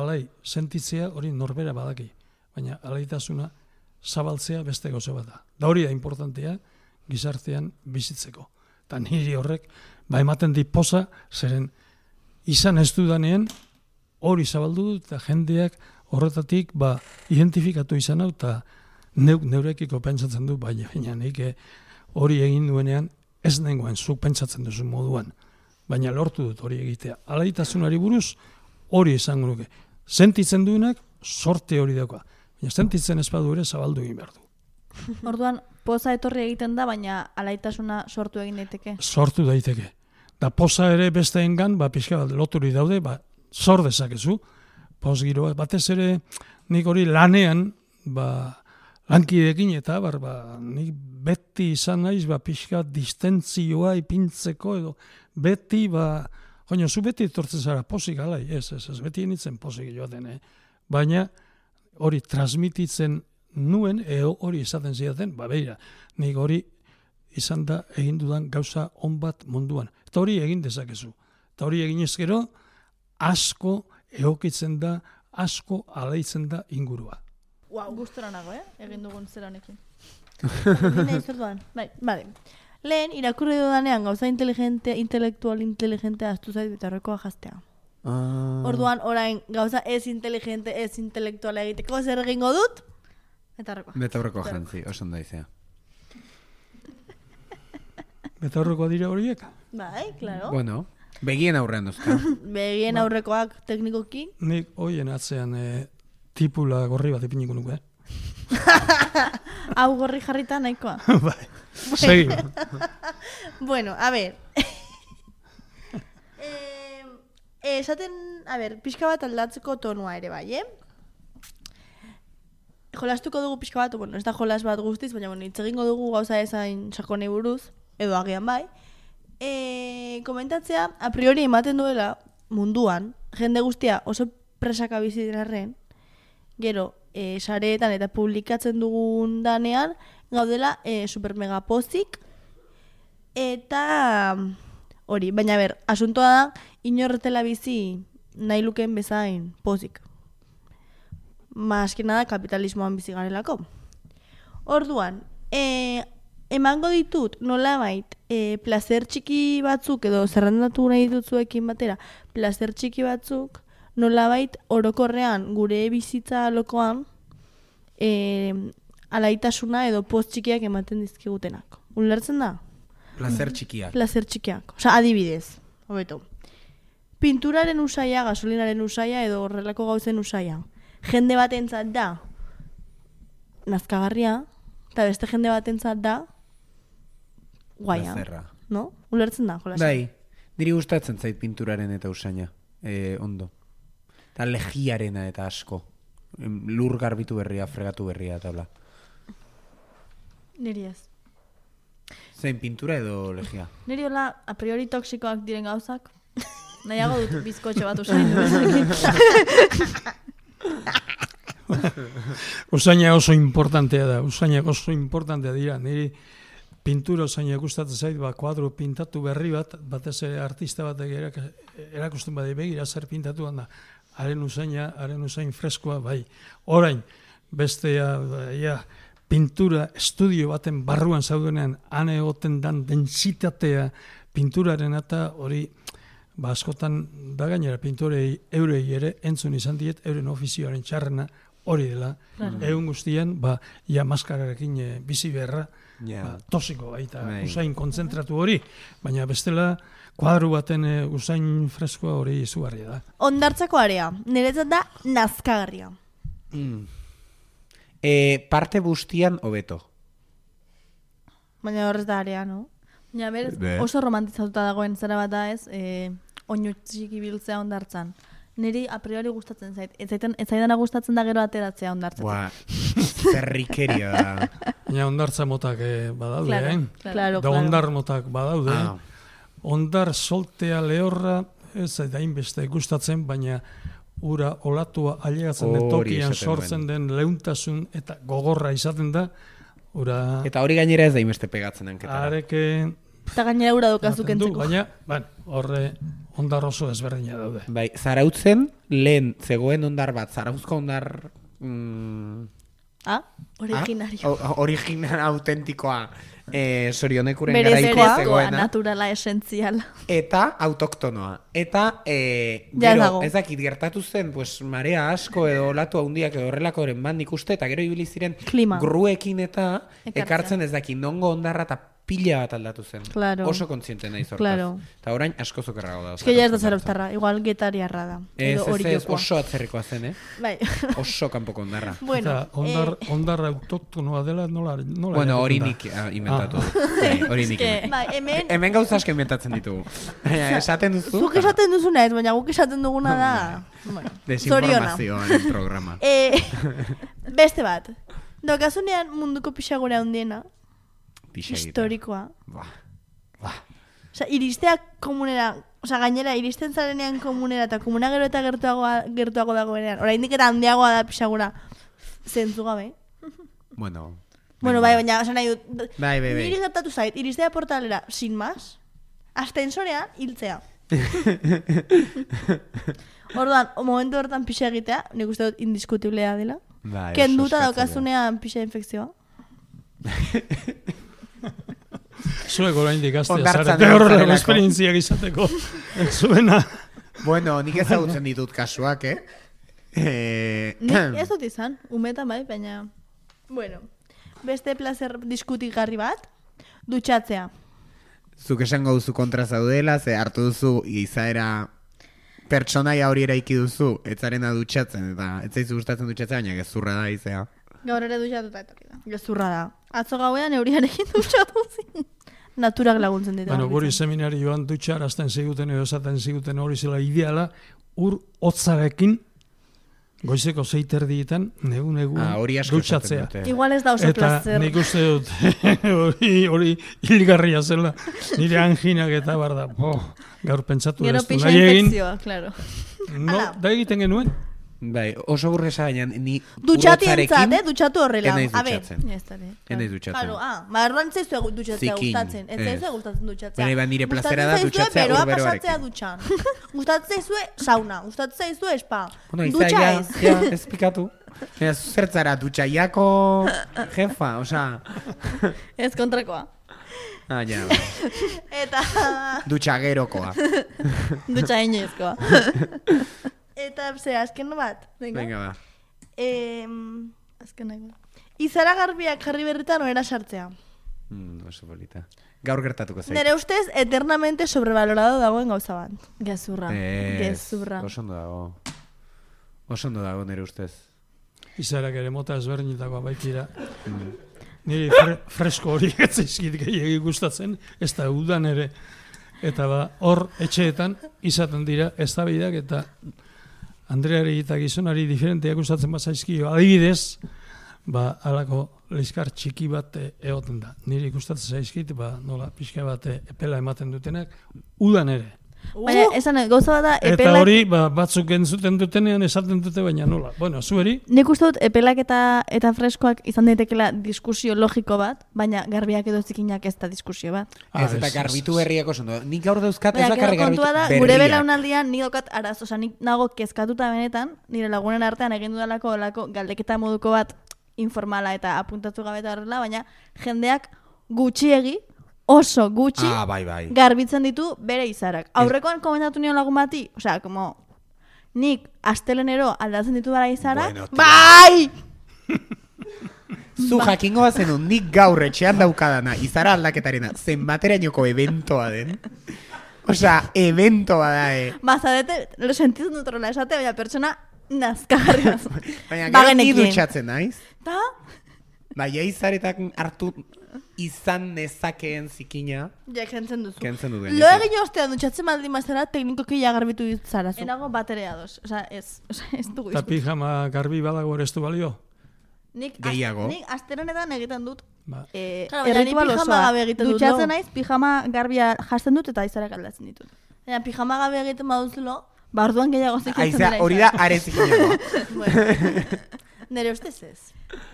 Alai sentitzea hori norbera badaki, baina alaitasuna zabaltzea beste gauza bat da. Da hori da importantea gizartean bizitzeko. Eta niri horrek ematen dit poza, zeren izan ez dudanean hori zabaldu dut eta jendeak horretatik identifikatu izan hau eta neurekiko pentsatzen du, baina nik hori egin duenean ez nengoen zuk pentsatzen duzu moduan, baina lortu dut hori egitea. Alaitasunari buruz hori izango nuke. Sentitzen duenak sorte hori dauka, baina sentitzen ez badu ere zabaldu egin behar du. Orduan, poza etorri egiten da, baina alaitasuna sortu egin daiteke? Sortu daiteke. Da poza ere besteengan, pixka bat loturi daude, sor dezakezu, poz giroa. Batez ere, nik hori lanean, lankidekin eta, nik beti izan naiz, pixka distentzioa ipintzeko, edo beti, zu beti etortzen zara pozik alai, ez, beti enitzen pozik joaten, baina hori transmititzen nuen, hori izaten zidaten, beira, nik hori izan da egin dudan gauza on bat munduan. Eta hori egin dezakezu. Eta hori egin ezkero, asko egokitzen da, asko alaitzen da ingurua. Gustora nago, egin dugun zer honekin. Bai. Lehen, irakurri dudanean gauza intelektual inteligente astu zait bitarrekoa jaztea. Orduan, orain, gauza ez inteligente, ez intelektuala egiteko zer egingo dut? Betaurrekoa jantzi, oso ondo izea. Betaurrekoa dira horiek? Bai, klaro. Bueno, begien aurrean duzka. Begien aurrekoak teknikoki. Nik hoien atzean tipula gorri bat ipiniko nuke. Hau gorri jarrita nahikoa. Bai, segi. Bueno, a ver. Esaten, pixka bat aldatzeko tonua ere bai, Jolastuko dugu pixka bat, ez da jolas bat guztiz, baina hitz egingo dugu gauza ezain sakonei buruz, edo agian bai. Komentatzea, a priori ematen duela munduan, jende guztia oso presaka bizitzen gero, sareetan eta publikatzen dugun danean, gaudela super mega pozik, eta hori, baina asuntoa da, inorretela bizi nahi lukeen bezain pozik. Maskena da kapitalismoan bizi garelako. Orduan, emango ditut nolabait placer txiki batzuk edo zerrendatu nahi ditutzuekin batera, placer txiki batzuk nolabait orokorrean gure bizitza lokoan alaitasuna edo poz txikiak ematen dizkigutenak. Ulertzen da? Placer txikiak. Placer txikiak. Osa, adibidez, hobeto. Pinturaren usaia, gasolinaren usaia edo horrelako gauzen usaia. Jende batentzat da nazkagarria, eta beste jende batentzat da guaia. Plazerra. No? Ulertzen da, jolasa. Bai, niri gustatzen zait pinturaren eta usaina. Ondo. Eta legiarena eta asko. Lur garbitu berria, fregatu berria, eta bla. Niri ez. Zein pintura edo legia? Niri hola, a priori toksikoak diren gauzak. Nahiago dut bizkotxe bat usain. Usaina oso importantea da, usainak oso importantea dira. Niri pintura usaina gustatzen zait, kuadro pintatu berri bat, batez ere artista batek erakusten badi begira zer pintatu da. haren usain freskoa, bai. Orain, bestea, pintura estudio baten barruan zaudenean, han egoten dan dentsitatea pinturaren eta hori, askotan da gainera pintorei eurei ere entzun izan diet, euren ofizioaren txarrena hori dela. Egun guztian, maskararekin bizi beharra, tosiko baita, usain kontzentratu hori, baina bestela, kuadru baten usain freskoa hori izugarria da. Hondartzako area, niretzat da nazkagarria. Parte bustian hobeto. Baina horrez da area, no? Ja, berez, oso romantizatuta dagoen zera bat da ez, oinu txiki biltzea hondartzan. Niri a priori gustatzen zait. Ez zaidana gustatzen da gero ateratzea hondartzatik. Zerrikeria da. Baina hondartza motak badaude, Claro. Da hondar motak badaude. Hondar soltea lehorra, ez da hainbeste gustatzen, baina ura olatua ailegatzen den tokian sortzen den leuntasun eta gogorra izaten da. Eta hori gainera ez da hainbeste pegatzen hanketara. Areke... Eta gainera ura dukazuk entzeko. Baina, horre hondar oso ezberdina daude. Bai, Zarautzen lehen zegoen hondar bat, Zarauzko hondar... Originario. Original autentikoa. Sorionekuren garaiko zegoena. Naturala, esentziala. Eta autoktonoa. Eta gero, ez dakit gertatu zen, pues, marea asko edo olatu handiak edo horrelakoren nik uste, eta gero ibili ziren gruekin eta ekartzen ez dakit nongo hondarra eta pila bat aldatu zen. Claro. Oso kontziente nahi zortaz. Eta orain asko zokerrago da. Ez que ya ez da zarauztarra, igual getariarra da. Ez, oso atzerrikoa zen, Bai. Oso kanpoko hondarra. Bueno, eta hondarra autoktonoa dela nola bueno, hori nik inventatu. Hori nik inventatu. Hemen gauza asko inventatzen ditugu. Esaten duzu? Zuk esaten duzuna ez, baina guk esaten duguna da... Desinformazioaren programa. Beste bat. Dokasunean munduko pixagora handiena. Historikoa. Osa, iristeak komunera, osa, gainera, iristen zarenean komunera eta komuna gero eta gertuago dagoenean. Oraindik eta handiagoa da pixagura zentzu gabe. Bueno, bai, baina, osa nahi dut. Bai. Niri gertatu zait, iristea portalera, sin más, astensorean hiltzea. Orduan, momentu hortan pixa egitea, nik uste dut indiskutiblea dela. Kenduta daukasunean pixa infekzioa. Zuek oraindik gaztea zarete horrela esperientziak izateko. Zuena. Bueno, nik ezagutzen ditut kasuak, Nik ez dut izan, umetan bai, baina... Bueno, beste placer diskutigarri bat, dutxatzea. Zuk esango duzu kontra zaudela, ze hartu duzu izaera pertsonaia hori eraiki duzu, etzarena dutxatzen, eta ez zaizu gustatzen dutxatzea, baina gezurra da izea. Gaur ere dutxatuta etorri da. Gezurra da. Atzo gauean euriarekin dutxatu zin. Naturak laguntzen ditu. Bueno, guri seminarioan dutxarazten ziguten edo esaten ziguten hori zela ideala, hotzarekin goizeko 6:30 negun dutxatzea. Igual ez da oso placer. Eta nik uste dut hori hilgarria zela. Nire anginak eta bar da. Gaur pentsatu ez du. Gero pixa infekzioa, claro. No, da egiten genuen. Bai, oso burresa baina ni dutxatientzat, dutxatu horrela. Enaiz dutxatzen. Enaiz dutxatzen. Marran zaizu dutxatzea gustatzen. Ez zaizu gustatzen dutxatzea. Baina nire plazera da dutxatzea urberoarekin. Beroa pasatzea dutxan. Gustatzen zaizu sauna, gustatzen zaizu spa. Dutxa ez. Ja, ez pikatu. Zertzara dutxaiako jefa, osea. Ez kontrakoa. Ja. Eta... Dutxagerokoa. Dutxa inoizkoa. Eta, azken bat? Venga, ba. Azken nahi. Izara garbiak jarri berritan oera sartzea. Oso polita. Gaur gertatuko zait. Nere ustez, eternamente sobrevalorado dagoen gauza bat. Gezurra. Oso ondo dago nere ustez. Izarak ere mota ezberdinetakoa baitira. Niri fresko hori etzaizkit gehiagi gustatzen, ez da udan ere. Eta hor etxeetan izaten dira eztabaidak eta Andreari eta gizonari diferenteak gustatzen bazaizkio. Adibidez, halako liskar txiki bat egoten da. Niri gustatzen zaizkit, nola pixka bat epela ematen dutenak, udan ere. Baina, esan, gauza bat da, Eta epelak... hori, batzuk entzuten dutenean esaten dute, baina nola. Bueno, zueri, Nik uste dut, epelak eta freskoak izan daitekela diskusio logiko bat, baina garbiak edo zikinak ez da diskusio bat. Ez, eta garbitu berriak oso ondo. Nik gaur dauzkat ez Baina, bakarrik gero garbitu kontua da, berriak. gure belaunaldian nik daukat araz, osea, nik nago kezkatuta benetan, nire lagunen artean egin dudalako galdeketa moduko bat informala eta apuntatu gabe eta horrela, baina jendeak gutxiegi, oso gutxi, Bai. garbitzen ditu bere izarak. Aurrekoan komentatu nion lagun bati, osea, como, nik astelenero aldatzen ditu bara izarak, Bueno, bai! Zu jakingo bazenun, nik gaur etxean daukadana, izara aldaketarena, zenbaterainoko eventoa den. Osea, eventoa da, Bazadete, lo sentitzen dut horrela esate, baina pertsona nazkagarri bat. Baina gero ni dutxatzen naiz. Ta? Baina izaretak hartu izan nezakeen zikina. Ja, kentzen duzu. Kentzen dut. Lo egin ostean dutxatzen baldin mazera, teknikoki ja garbitu ditzarazu. Enago baterea dos, osea, ez dugu eta pijama garbi badago ere ez du balio. Gehiago. Nik astelenetan egiten dut. Ba. Claro, baina ni erritual pijama osoa. gabe egiten dut, Dutxatzen no? naiz, pijama garbia jasten dut eta izarak aldatzen ditut. Baina pijama gabe egiten baduzulo, Ba, orduan gehiago zikentzen Aizea, hori da are zikinagoa. nire ustez ez.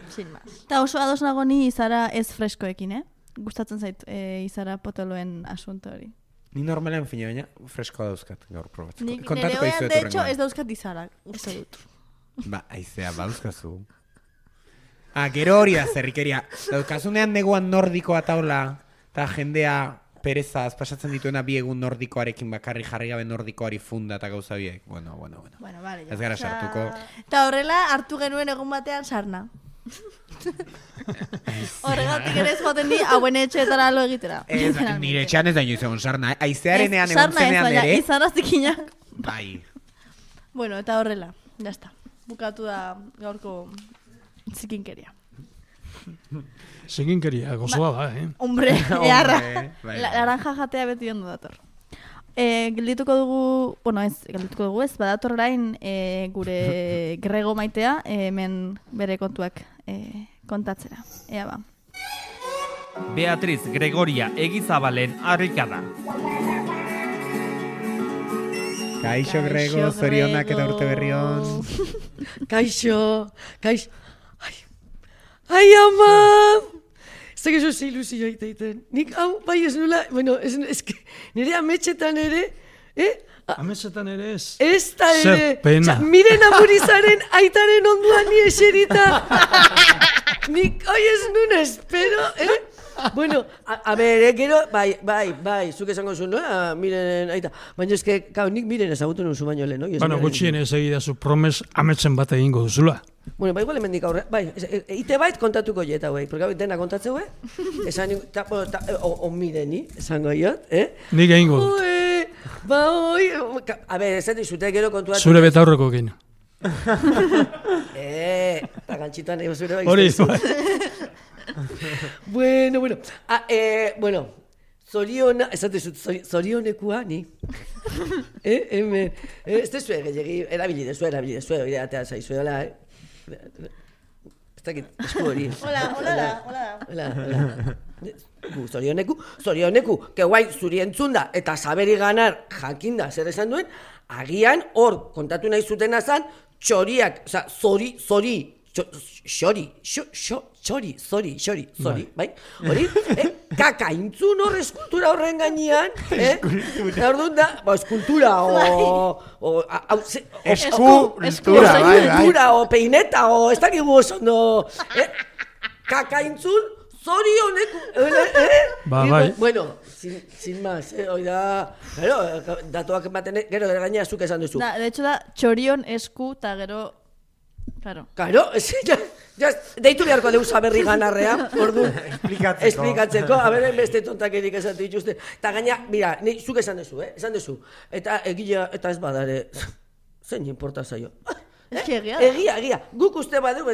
Sin más. Eta oso ados nago ni izara ez freskoekin, Gustatzen zait izara potoloen asunto hori. Ni normalean fina, baina freskoa dauzkat gaur probatzeko. Nik Kontatuko nire oean, dizuet de hecho, hurrengoan. ez dauzkat izarak, uste dut. Ba, aizea, bauzkazu. Gero hori da zerrikeria. Daukazunean neguan nordikoa taula, eta jendea perezaz pasatzen dituena bi egun nordikoarekin bakarri jarri gabe nordikoari funda eta gauza biek. Bueno. Bueno, vale, Ez gara sartuko. Eta horrela, hartu genuen egun batean sarna. Horregatik ere ez joaten di, hauen etxeetara lo egitera. Nire etxean ez da inoiz egon sarna, Aizearenean egon Sarna ez, zenean baina ere. izara zikinak. Bai. Bueno, eta horrela, jazta. Bukatu da gaurko zikinkeria. Zikinkeria, gozoa da, Hombre, eharra. Bai. Laranja jatea beti ondo dator. Geldituko dugu ez, badator orain gure Grego maitea hemen bere kontuak kontatzera. Ea ba. Beatriz Gregoria Egizabalen harrikada. Kaixo Grego, zorionak eta urte berri on. Kaixo. Ai, ama! Ez da gezo ze ilusioa iteiten. Nik hau, bai ez nula, bueno, ez que nire ametxetan ere, Ametsetan ere ez. ez da ere. Zer pena. Miren amurizaren aitaren onduan ni eserita. Nik, oi ez nun espero, Bueno, a ber, gero, bai, zuk esango zuen, no? Miren aita. Baina eske, nik miren ezagutu nun zu baino lehen, no? Bueno, gutxien ez egidazu promes ametsen bat egingo duzula. Bueno, bai, igual hemendik aurre, bai, ite bait kontatuko jet hauei, porque dena kontatzeu, esan, o mireni, esango jot, Nik egingo dut. A ber, ez dizute gero kontuatu. Zure betaurreko egin. Eta gantxitoan ego zure bai. Hori, Bueno. Bueno, zoriona, esatezut, zorionekua, ni. Hemen, ez dezue gehiagi, erabili dezue, hori atea zaizuela, Ez dakit, esku hori. Hola. Zorioneku, que guai zuri entzunda eta saberi ganar jakinda zer esan duen, agian hor kontatu nahi zutena zan, txoriak, oza, xori, bai? Hori, kaka intzun hor eskultura horren gainean, orduan da, eskultura, eskultura, o peineta, o ez dakigu oso ondo, kaka intzun, zorioneku, Bai. Bueno, sin más, oida, datuak ematen, gero gainera zuk esan duzu. De hecho da, txorion esku eta gero, claro. Claro, deitu beharko deusa berri ganarrea, ordu. Esplikatzeko, a ber, beste tontakerik esatu dituzte. Eta gaina, mira, zuk esan duzu, esan duzu. Eta egila, eta ez badare, zein importa zaio. Egia, guk uste badu,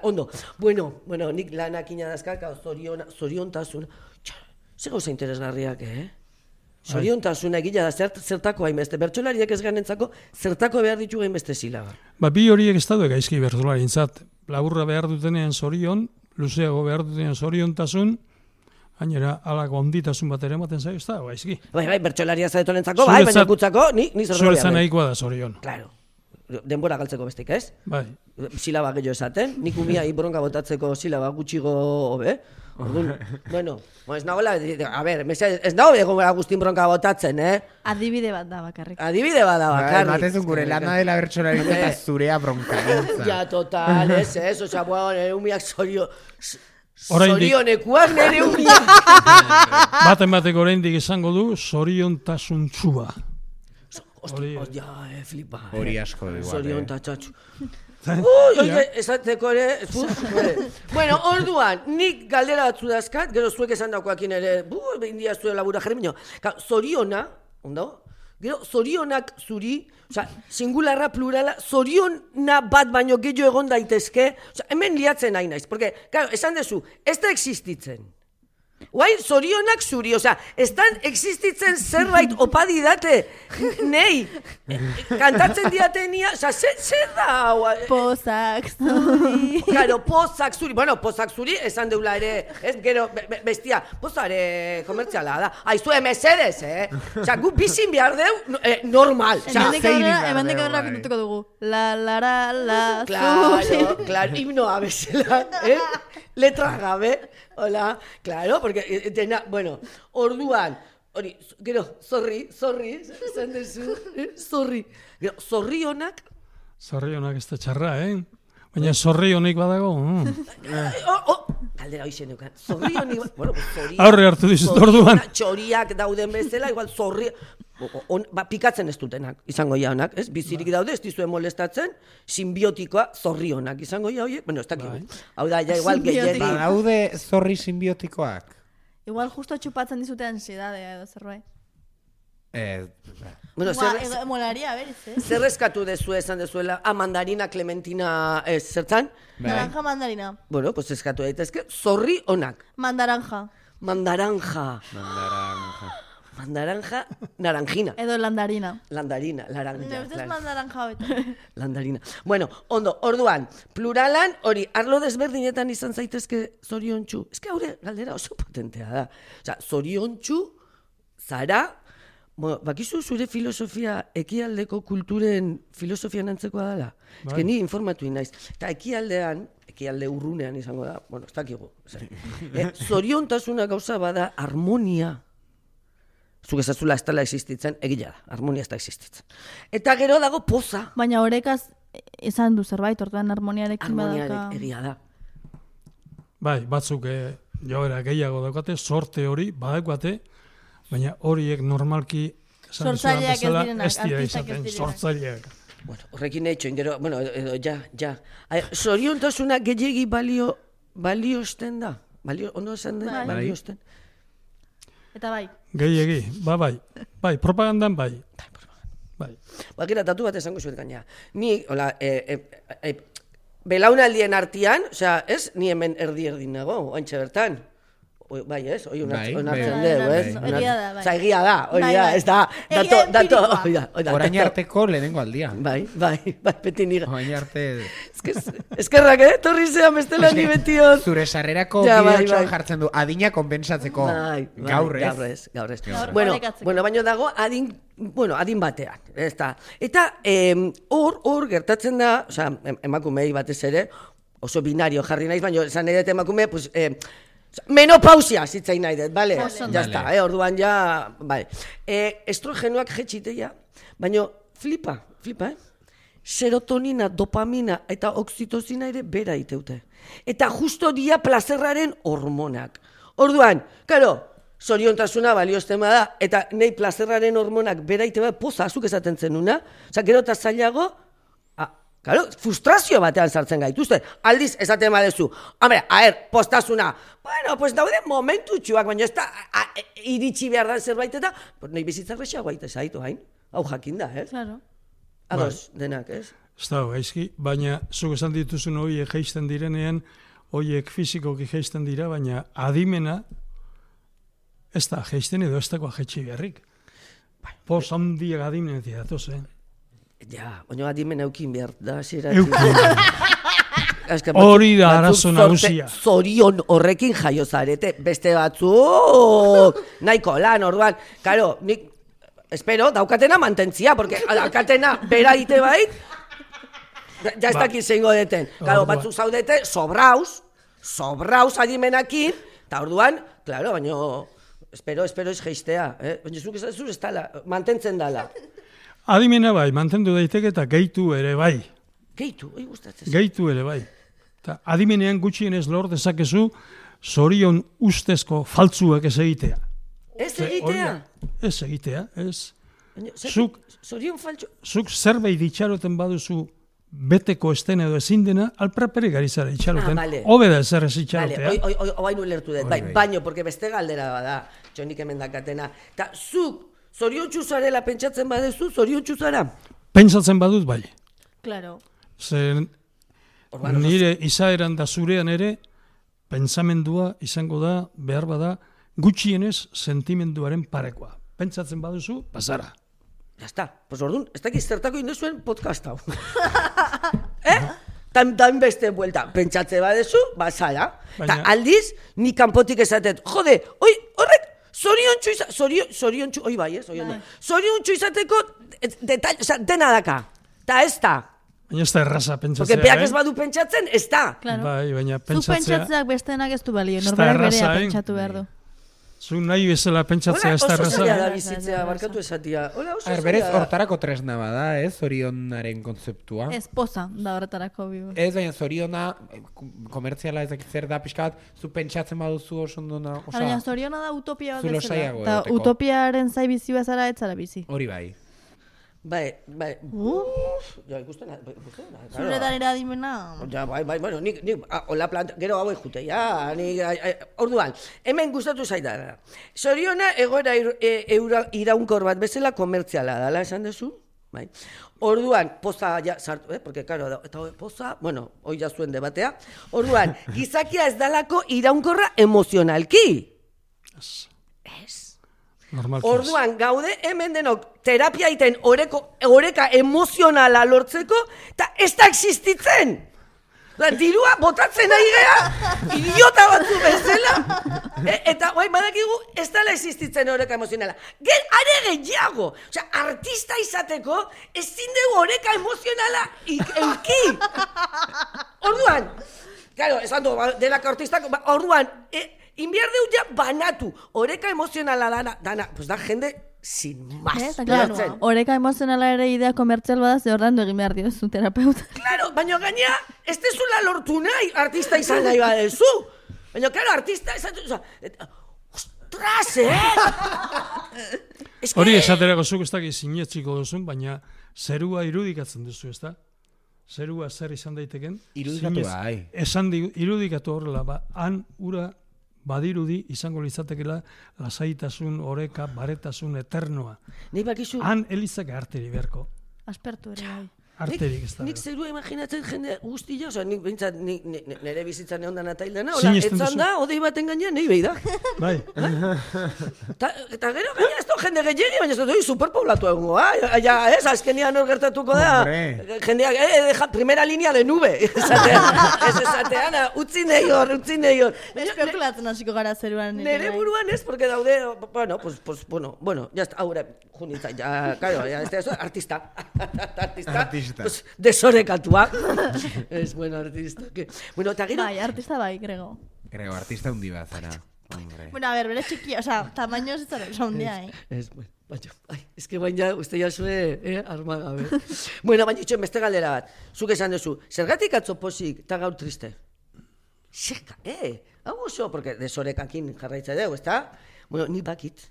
ondo. Bueno, nik lanak inadazkaka, zoriontasun. Zer gauza interesgarriak, Zoriontasuna egila da, zertako hainbeste. Bertsolariak ez ganentzako, zertako behar ditu hainbeste zilaga. Bi horiek ez daude gaizki bertsolarintzat. Laburra behar dutenean zorion, luzeago behar dutenean zoriontasun, gainera, alako onditasun bat ere ematen zaio, ez da, gaizki. Bai, bertsolaria zaretonentzako, bai, baina gutzako, ni zerroia. Zuretzan nahikoa da zorion. Claro. Denbora galtzeko bestik, ez? Bai. Silaba gehiago esaten, nik umia bronka botatzeko silaba gutxigo hobe. Orduan, bueno, ez nagoela, a ber, ez nago egoera guztin bronka botatzen, Adibide bat da bakarrik. Adibide bat da bakarrik. Matezun gure lana dela bertsolari eta zurea bronka. Ja, total, ez, osea, bueno, nire umiak zorionekuak nire umiak. Baten bateko oraindik izango du, zoriontasuntsua. Ja, flipa. Hori asko igual. Zorion tatxatxu. Esateko ere, bueno, orduan, nik galdera batzu dazkat, gero zuek esan daukoakin ere, india zuen labura jermino. Zoriona, ondo? Gero, zorionak zuri, oza, singularra, plurala, zoriona bat baino gehiago egon daitezke, oza, hemen liatzen nahi naiz, porque, claro, esan dezu, ez da existitzen. Guai, zorionak zuri, oza, estan existitzen zerbait opadi date, nei, kantatzen diatenia, oza, zer da? Pozak zuri. Claro, pozak zuri, bueno, pozak zuri, esan deula ere, ez, gero, bestia, pozare komertziala da, aizue mesedez, oza, gu bizin behar deu, normal, oza, Hemendik aurrera kontutuko dugu, la, zuri. Claro, himnoa bezala, letra gabe, hola, claro, porque tena, bueno, orduan, hori, gero, zorri, esan dezu, zorri, gero, zorrionak ez da txarra, Baina zorrionik badago. Galdera hoxe neukan, zorrionik, bueno, zorrionak. Aurre hartu dizut orduan. Txoriak dauden bezala, igual zorri, pikatzen ez dutenak, izango jaunak, ez? Bizirik daude, ez dizuen molestatzen, simbiotikoa zorrionak, izango ja horiek, bueno, ez dakigu. Hau da, ja, igual gehiagik. Badaude zorri simbiotikoak? Igual justo txupatzen dizute ansiedadea edo zerbait. Bueno, molaria, beriz, zer eskatu dezu esan dezuela, mandarina, clementina, zertan? Naranja, mandarina. Bueno, pues eskatu daitezke, zorri onak. Mandaranja, naranjina. edo landarina. Landarina. Neuztez mandaranja beta. Landarina. Bueno, ondo, orduan, pluralan, hori, arlo desberdinetan izan zaitezke zoriontsu. Ez que haure, galdera oso potentea da. Osa, zoriontsu, zara, bakizu zure filosofia ekialdeko kulturen filosofian antzekoa dela? Ez que ni informatu naiz. Eta ekialde urrunean izango da, bueno, ez dakigu. Zoriontasuna gauza bada harmonia. Zuk ezazula ez dela existitzen, egila da, harmonia ez da existitzen. Eta gero dago poza. Baina horekaz esan du zerbait, orduan harmoniarekin badaka. Harmoniarekin egia da. Bai, batzuk joera gehiago daukate, sorte hori badaukate, baina horiek normalki sortzaileak ez direnak, artistak ez direnak. Sortzaileak. Bueno, horrekin etxoin, gero, bueno, ja. Zoriontasuna gehiegi baliosten da? Ondo esan da? Baliosten. Eta bai. Gehiegi, bai, propagandan bai. Bakera, tatu bat esango zuet gaina. Ni, hola, belaunaldien artean, osea, ez, ni hemen erdi nago, oantxe bertan. Bai, ez, hori onartzen dugu, ez? Egia da, hori da, ez da, dato, hori da. Orain arteko lehenengo aldia. Bai, beti nire. Orain arte... Eskerrak, torri zean bestela ni betiot. Zure sarrerako bideotxoan jartzen du, adina konpensatzeko. Gaur ez. Bueno, baino dago, adin batean. Eta hor gertatzen da, oza, emakumei batez ere, oso binario jarri naiz, baina esan edet emakume, pues... menopausia zitzain nahi dut, bale? Ja está, orduan ja, bale. Estrogenoak jetxiteia, baina flipa, serotonina, dopamina eta oxitozina ere bera iteute. Eta justo dia plazerraren hormonak. Orduan, karo, zoriontasuna balioztema da, eta nahi plazerraren hormonak bera iteute, poza, azuk esaten zenuna, oza, gero eta zailago, claro, frustrazio batean sartzen gaituzte. Aldiz, esaten badezu. Hombre, postasuna. Bueno, pues daude momentu txuak, baina ez da iritsi behar da zerbait eta nahi bizitzak rexago baita zaitu hain. Hau jakin da, ez? Claro. Ados, denak, ez? Ez da, gaizki, baina zuk esan dituzun horiek geisten direnean, horiek fizikoki geisten dira, baina adimena ez da geisten edo ez dagoa jetxi beharrik. Pos handiak adimenetik datoz, Ja, baina adimen eukin behar da, zera. Hori da arazo nagusia. Zorion horrekin jaio zarete, beste batzuk nahiko lan, orduan, karo, nik espero daukatena mantentzia, porque daukatena bera ite bait, ja ez dakit zeingo deten. Karo, batzuk zaudete, sobraus adimenakin, eta orduan, klaro, baino, espero ez geistea, baina zuk ez dala, mantentzen dala. Adimena bai, mantendu daiteke eta gehitu ere bai. Gehitu, gustatzen. Gehitu ere bai. Ta adimenean gutxienez lor dezakezu zorion ustezko faltzuak ez egitea. Ez egitea? Ez egitea, ez. Zorion faltzu? Zuk zerbait itxaroten baduzu beteko esten edo ezin dena, alprapere gari zara itxaroten. Hobe da ezer ez itxarotea. Oain ulertu dut, baino, porque beste galdera bada, txonik hemen dakatena. Ta zuk, zoriontsu zarela pentsatzen badezu, zoriontsu zara? Pentsatzen badut bai. Claro. Zer nire izaeran da zurean ere, pentsamendua izango da, behar bada, gutxienez sentimenduaren parekoa. Pentsatzen baduzu, bazara. Ya está, pues orduan, ez dakiz zertako induzuen podcast hau. Tan beste buelta, pentsatze badezu, bazara. Ta aldiz, ni kanpotik esatet, jode, horrek, zoriontsu, oi bai, zoriontsu izateko dena daka, ta ez da. Baina ez da erraza pentsatzea, porque beak ez badu pentsatzen, ez da. Bai, baina pentsatzea... Zu pentsatzeak bestenak ez du balio, norberak berea pentsatu behar du. Zu nahi bezala pentsatzea ez da erraza. Oso zaila da bizitzea, barkatu esatia. Berez, hortarako tresna bada, zorionaren kontzeptua. Ez poza da horretarako bibu. Ez, baina zoriona, komertziala ez dakit zer da, pixka bat, zu pentsatzen baduzu oso ondona. Baina zoriona da utopia bat bezala. Eta utopiaren zai bizi bazara ez zara bizi. Hori bai. Bai. Ja, ikusten. Zuretan eradimena. Ja, bai, bueno, nik hola planta, gero hauek jute, ja, orduan, hemen gustatu zaidara. Zoriona egoera iraunkor bat bezala komertziala dala, esan duzu? Bai. Orduan, poza ja sartu, porque claro, eta poza, bueno, hoi ja zuen debatea. Orduan, gizakia ez dalako iraunkorra emozionalki. Ez. Orduan, gaude hemen denok terapia iten oreka emozionala lortzeko, eta ez da existitzen. Dirua botatzen nahi gea, idiota batzu bezala, eta badakigu ez dela existitzen oreka emozionala. Are gehiago, artista izateko ezin dugu oreka emozionala euki. Orduan, claro, esan du, delako artistak, orduan, inbiar deu ja banatu, oreka emozionala dana, pues da jende sin más. Claro, oreka emozionala ere idea komertzial bada, ze ordan du egin behar diozu terapeuta. Claro, baina gaina, ez dezula lortu nahi, artista izan nahi badezu. Baina, claro, artista izan nahi, ostras, Hori esaterako zuk ez dakit sinetxiko duzun, baina zerua irudikatzen duzu, ez da? Zerua zer izan daiteken? Irudikatu bai. Irudikatu horrela, han ura badirudi izango litzatekela lasaitasun, oreka, baretasun, eternoa. Han elizak arteri beharko. Aspertu ere bai. Arterik ez da. Nik zerua imaginatzen jende guztia, nik bintzat nire bizitzan egon dana taildana, etzan da, odei baten gainean, nahi behi da. Bai. Eta gero gaina ez da jende gehiagi, baina ez da superpoblatu egongo, ez, azkenian hor gertatuko da, jendeak, primera línea de nube, ez esatean, utzi nahi hor. Espekulatzen hasiko gara zeruan. Nire buruan ez, porque daude, bueno, ya está, aurre, junitza, ya, claro, artista. Pues, desorekatua. Es buen artista. Bueno, eta gero... Bai, artista bai, Grego. Grego, artista hundi bat, zara. Bueno, a ver, bere txiki, tamaño ez zara hundia, Es que baina, uste ya zue, armagabe. Bueno, baina itxoen beste galdera bat. Zuk esan duzu, zergatik atzo posik eta gaur triste? Zerka, hau oso, porque desorekakin jarraitza dugu, ezta? Bueno, ni bakit.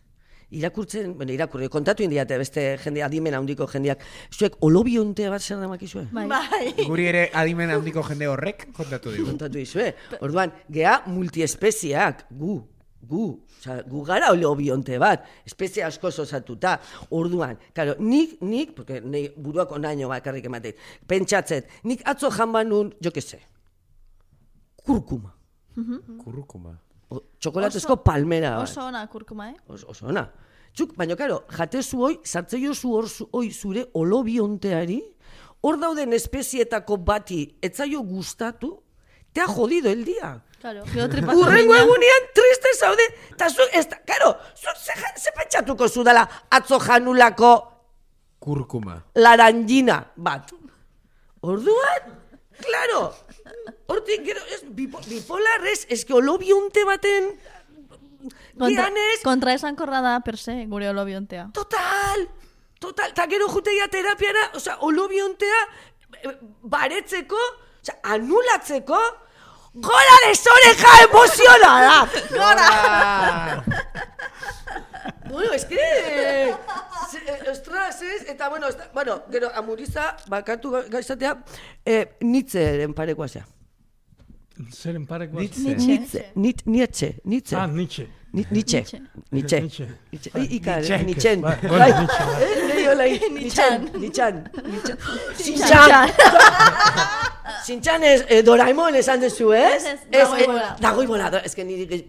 Irakurri, kontatu indiate beste jende adimen handiko jendeak. Zuek olobiontea bat zer damakizue? Bai. Guri ere adimen handiko jende horrek kontatu digu. Kontatu dizue. Orduan, gea multiespeziak, gu gara olobionte bat, espezie asko osatuta. Orduan, claro, nik, porque buruak onaino bakarrik ematen, pentsatzet, nik atzo janbanun, jo que sé, kurkuma. Kurkuma. Txokolatezko palmera. Oso ona kurkuma, Oso ona. Txuk, baina, karo, jatezu hoi, sartzeiozu hoi zure olobionteari, hor dauden espezietako bati etzaio gustatu, te ha jodido el día. Claro. Urrengo egunean triste zaude, eta zu, karo, ze pentsatuko zu dela atzo janulako Kurkuma. laranjina bat. Orduan, claro, hortik gero, bipolar ez que olobionte baten gianez... Kontra esankorra da, per se, gure olobiontea. Total, eta gero juteia terapiara, olobiontea baretzeko, anulatzeko, gora desoreja emozionada! Gora! Bueno, es que... Ostras, ez? Eta, bueno, gero, amuriza, bakatu gaizatea, Nietzscheren parekoa zea. Zeren parekoa? Nietzsche. Nietzsche. Ikar, Nietzschen. Sintxan Doraemon esan dezu, ez? Dagoi bola. Ez que niri...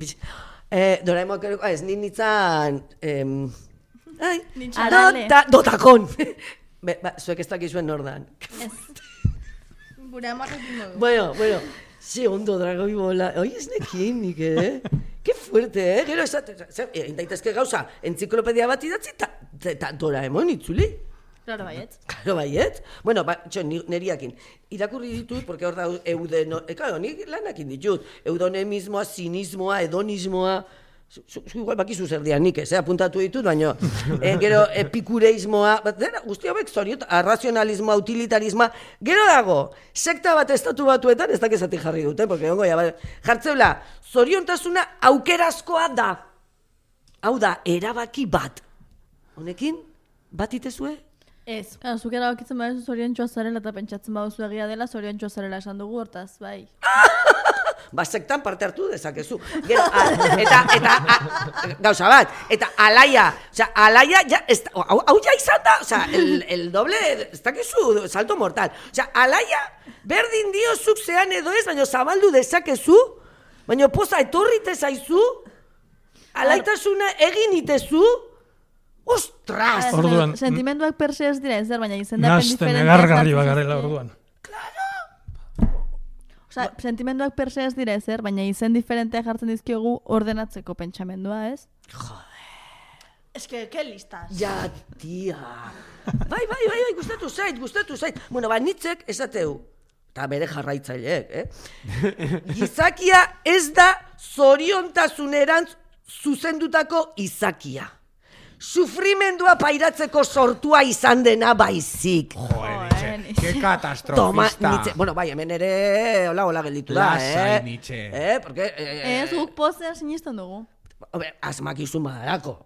Doraemon, ez, nintzan... Dotakon. Zuek ez dakizuen nordan. Gure amarrekin dugu. Bueno, ze ondo dragoi bola. Oi, ez nekin nik, Qué fuerte, Gero indaitezke gauza, entziklopedia bat idatzi, eta Doraemon itzuli. Claro, baiet. Claro, baiet. Bueno, neriakin. Irakurri ditut, porque hor da claro, nik lanakin ditut. Eudonemismoa, zinismoa, hedonismoa... Igual bakizu zer dian nik, apuntatu ditut, baina gero epikureismoa, guzti hauek zoriot, arrazionalismoa, utilitarismoa, gero dago, sekta bat estatu batuetan, ez dakezatik jarri dute, porque ongo, jartzeula, zoriontasuna aukerazkoa da. Hau da, erabaki bat. Honekin, bat itezue? Ez. Zuk erabakitzen badezu zoriontxoa zarela eta pentsatzen baduzu egia dela, zoriontxoa zarela esan dugu hortaz, bai. Sektan parte hartu dezakezu. Gero, eta gauza bat, eta alaia, hau ja izan da, el doble, ez dakizu, salto mortal. Alaia, berdin dio zuk zean edo ez, baina zabaldu dezakezu, baina poza etorrite zaizu, alaitasuna egin itezu, ostras! Orduan, sentimenduak perse ez dira ezer, baina izendapen diferenteak. Nazten egargarri bagarela orduan. Sentimenduak perse ez dira ezer, baina izen diferenteak jartzen dizkiogu ordenatzeko pentsamendua, ez? Joder. Es que listas. Ja, tia. Bai, gustatu zait. Bueno, Nietzschek esateu, eta bere jarraitzaileek, gizakia ez da zoriontasunerantz zuzendutako izakia. Sufrimendua pairatzeko sortua izan dena baizik. Joder, que katastrofista. Toma, Nietzsche. Bueno, bai, hemen ere hola gelditu da, Lasai, Nietzsche. Porque... Ez, guk pozea sinisten dugu. Asmakizun badarako.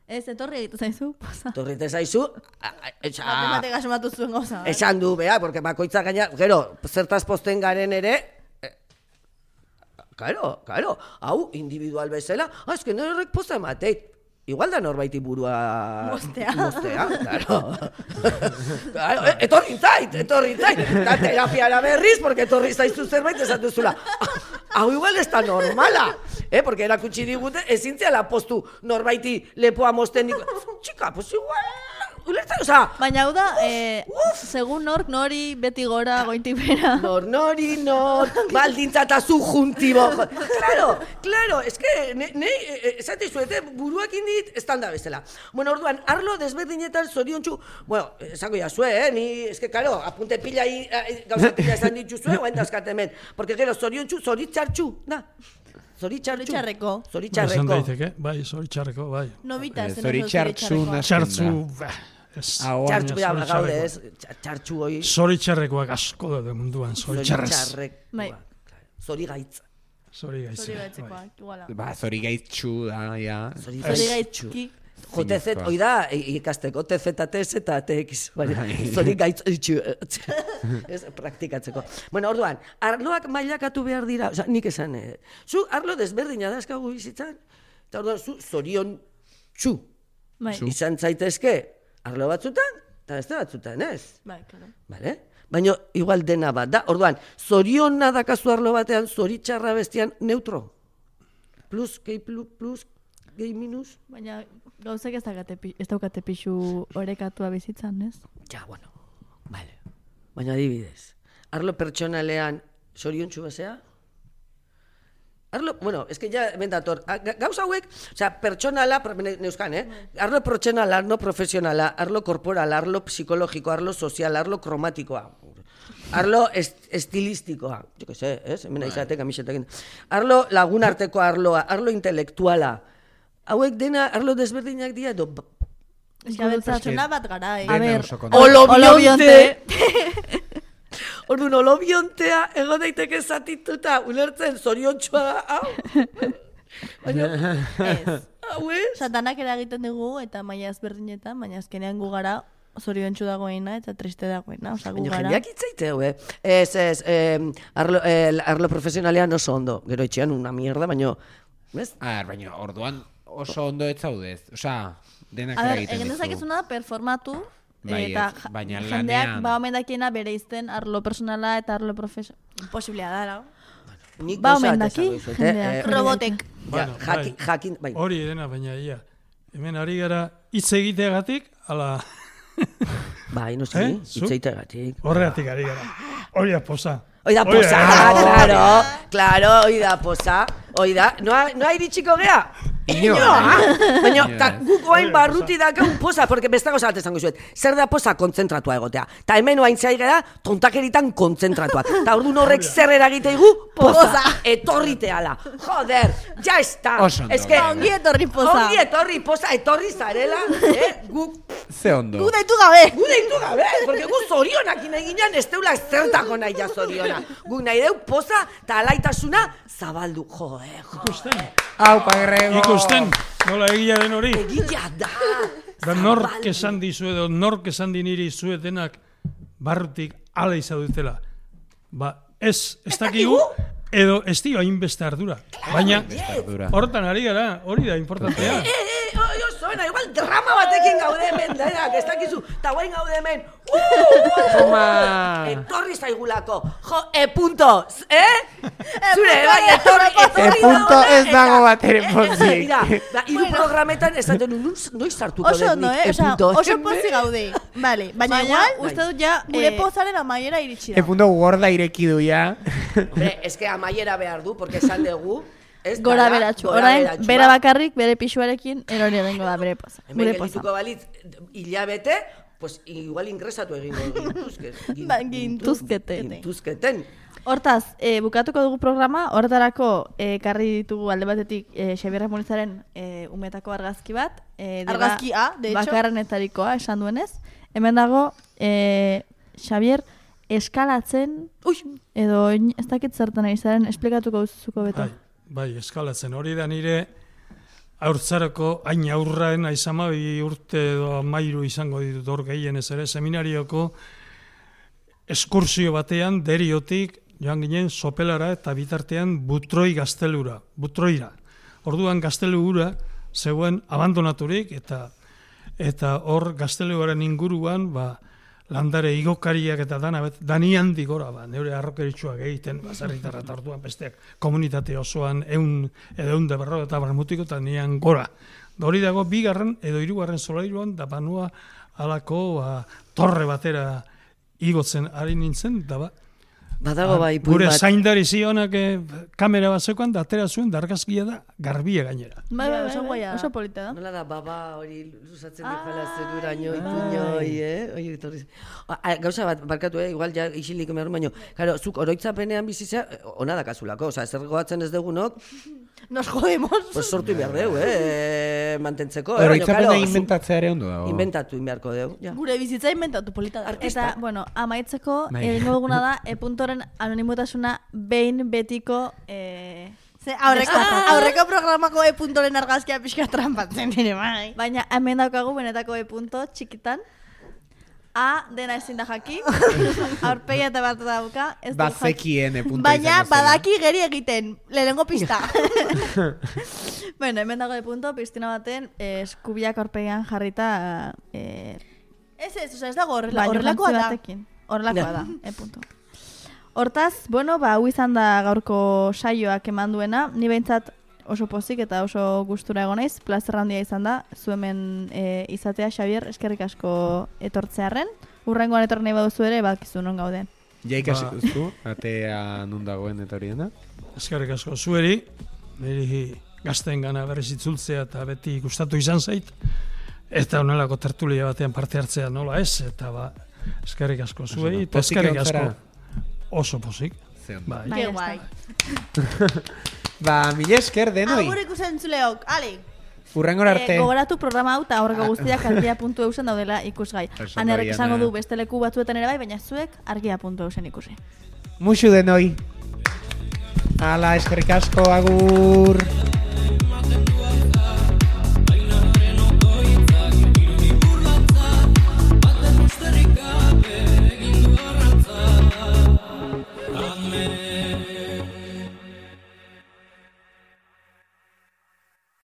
Ez, etorri egitu zaizu, poza. Etorrite zaizu... Matematik asmatu zuen goza. Esan du, bea, porque bakoitza gaina... Gero, zertaz posten garen ere... Claro, hau, individual bezala... Ez que norek posta emateit. Igual da norbaiti burua... Mostea, claro. Etorri zait. Da terapiara berriz, porque etorri zaizu zerbait esatuzula. Hau igual ez da normala. Porque erakutsi digute, ezintziala postu norbaiti lepoa mosten. Txika, pues igual... Baina hau da, segun nori beti gora, gointik bera. Nori, baldintza eta zu juntibo. Claro, es que, esate zuete, buruak indit, estanda bezala. Bueno, orduan, arlo desberdinetan zoriontxu, bueno, esango jazue, ni, es que, claro, apunte pila, gauza pila esan dituzue, guain dazkat hemen. Porque, gero, zoriontxu, zoritxartxu, da. Zoritxarreko. Esan daiteke, bai, zoritxarreko, bai. Nobita, zoritxartxu Txartzu, Txartxu, gaude ez, txartxu hoi. Zoritxarrekoak asko da munduan, zoritxarrez. Zorigaitz. Zorigaitzekoak, iguala. Zorigaitzu da, ja. Zorigaitzuki. JTZ, hoi da, ikasteko, TZTZ eta TX, zorigaitzu. Ez, praktikatzeko. Bueno, orduan, arloak mailakatu behar dira, oza, nik esan, zu arlo desberdina da eskagu bizitzan, eta orduan, zu zorion txu. Izan zaitezke, arlo batzutan, eta beste batzutan, ez? Bai, claro. Vale? Baina, igual dena bat, da? Orduan, zoriona dakazu arlo batean, zoritxarra bestian, neutro. Plus, gehi minus. Baina, gauzek ez daukate pixu orekatua bizitzan, ez? Ja, bueno, vale. Baina adibidez, arlo pertsonalean, Zoriontsu bezea? Arlo, bueno, es que ya hemen dator. Gauza hauek, pertsonala, neuzkan, arlo pertsonala, arlo profesionala, arlo korporala, arlo psikologiko, arlo sozial, arlo kromatikoa. Arlo estilistikoa. Jo que sé, hemen aizate kamisetekin. Arlo lagunarteko arloa, arlo intelektuala. Hauek dena arlo desberdinak dira edo... Pertsona bat gara, A ver, olobionte! Orduan, olobiontea ego daiteke zatituta, ulertzen zoriontsua da, hau? Ez. Hau ez? Satanak eragiten dugu eta maila ezberdinetan, baina azkenean gu gara zoriontsu dagoena eta triste dagoena, gu Baina gara. jendeak itzaiteu, arlo profesionalean oso ondo. Gero etxean una mierda, baina... Baina orduan oso ondo ez zaudez. Osea, denak A ere ber, egiten egin duzu. dezakezuna da performatu, Baina jendeak lanean... omendakiena bereizten arlo personala eta arlo profesionala. Imposiblea da, lau. Nik Ba, gauza omen bat daki, esango dizut, jendeak. Robotek. Bueno, jakin, bai. Hori dena, baina ia. Hemen ari gara hitz egiteagatik, ala Bai, no sé, Zu? itzaitegatik. horregatik ari gara. Hori da posa. Oida posa, claro, oida posa. Oida, noa iritsiko gea? Inoa! Baina, guk oain barruti dakaun posa, porque bestago bat esango zuet. Zer da posa kontzentratua egotea. Ta hemen oain zai gara tontakeritan kontzentratuak. Ta orduan horrek zer eragiteigu? Posa! Etorriteala. Joder, ya está. Oso ondo. Es que... Ongi etorri posa. Ongi etorri posa, etorri zarela. Guk... Ze ondo. Gu deitu gabe. Gu deitu gabe, porque gu zorionak ineginan ez teula zertako nahi ja zoriona. Guk nahi deu poza eta alaitasuna zabaldu. Joe. Hau, pagrego. Ikusten, nola egia den hori. Egia da. Da nork esan dizu edo nork esan diniri zuetenak barrutik ala izadutela. Ba, ez dakigu edo ez dio hainbeste ardura. Baina, hortan ari gara, hori da importantea. Zoena, igual drama batekin gaude hemen, denak, ez dakizu, eta guain gaude hemen. Etorri zaigulako. Jo, punto, Zure, bai, etorri punto ez dago bat ere pozik. Mira, hiru programetan esaten noiz sartuko Oso dut ondo, nik, oso pozik gaude. Vale, baina igual, uste dut ja, gure pozaren amaiera iritsi da. Punto gorda ireki du ya. Hombre, es que amaiera behar du, porque esan dugu, Gora beratxu. Orain, bera bakarrik, bere pixuarekin, erori egingo da bere poza. Hemen geldituko balitz, hilabete, pues igual ingresatu egingo gintuzketen. Hortaz, bukatuko dugu programa, horretarako karri ditugu alde batetik Xabier Ramonizaren umetako argazki bat. Argazkia, de hecho. Bakarrenetarikoa, esan duenez. Hemen dago, Xabier eskalatzen, edo ez dakit zertan ari zaren, esplikatuko zuko beto. Bai, eskalatzen. Hori da nire haurtzarako hain aurraen aizamabi urte edo amairu izango ditut hor gehienez ere, seminarioko eskursio batean deriotik joan ginen Sopelara eta bitartean Butroira. Orduan gaztelura zegoen abandonaturik eta hor gazteluaren inguruan landare igokariak eta dani handi gora, neure arrokeritxuak egiten, bazarritarra eta orduan besteak komunitate osoan 100 eta barmutiko eta nian gora. Hori dago bigarren edo hirugarren solairuan da banua alako torre batera igotzen ari nintzen, da Badago bai, gure zaindari zionak kamera bat zekoan, da atera zuen, da argazkia da garbia gainera. Bai, oso polita da. Nola da, baba hori luzatzen dejala zeruraino, ipuñoi, Gauza bat, barkatu, igual ja isilik emerun baino. Claro, zuk oroitzapenean bizizea, ona da kasulako, zer goatzen ez degunok, nos jodemos. Pues sortu behar deu, mantentzeko. Oroitzapena inventatzea ere ondo dago. Inventatu beharko deu. Gure bizitza inventatu polita da. Eta, bueno, amaitzeko, egingo duguna da, puntoren anonimotasuna behin betiko... Aurreko programako puntoren argazkia pixka trampatzen ere, bai. Baina hemen daukagu benetako punto txikitan. A, dena ezin da jaki. Aurpegia eta bat dauka. Bazekien punto izango zela. Baina badaki geri egiten, lehenengo pista. Bueno, hemen dago punto, piztina baten, eskubiak aurpegian jarrita... Ez dago horrelakoa da. Horrelakoa da, punto. Hortaz, bueno, hau izan da gaurko saioak eman duena, ni behintzat oso pozik eta oso gustura egon naiz, plazer handia izan da, zu hemen izatea, Xabier, eskerrik asko etortzearren. Urrengoan etorri nahi baduzu ere, bakizu non gauden. Jaik hasi duzu, atea nun dagoen eta hori dena? Eskerrik asko zueri, niri gazten gana berriz itzultzea eta beti gustatu izan zait, eta honelako tertulia batean parte hartzea nola ez, eta eskerrik asko zuei, eta eskerrik asko oso pozik. Bai, guai. Mila esker denoi. Agur ikusen zuleok, ale! Urrengor arte. Gogoratu programa hau eta horreko guztiak argia.eusen daudela ikusgai. Anerrek esango du beste leku batzuetan ere bai, baina zuek argia.eusen ikusi. Muxu denoi. Ala, eskerrik asko, agur.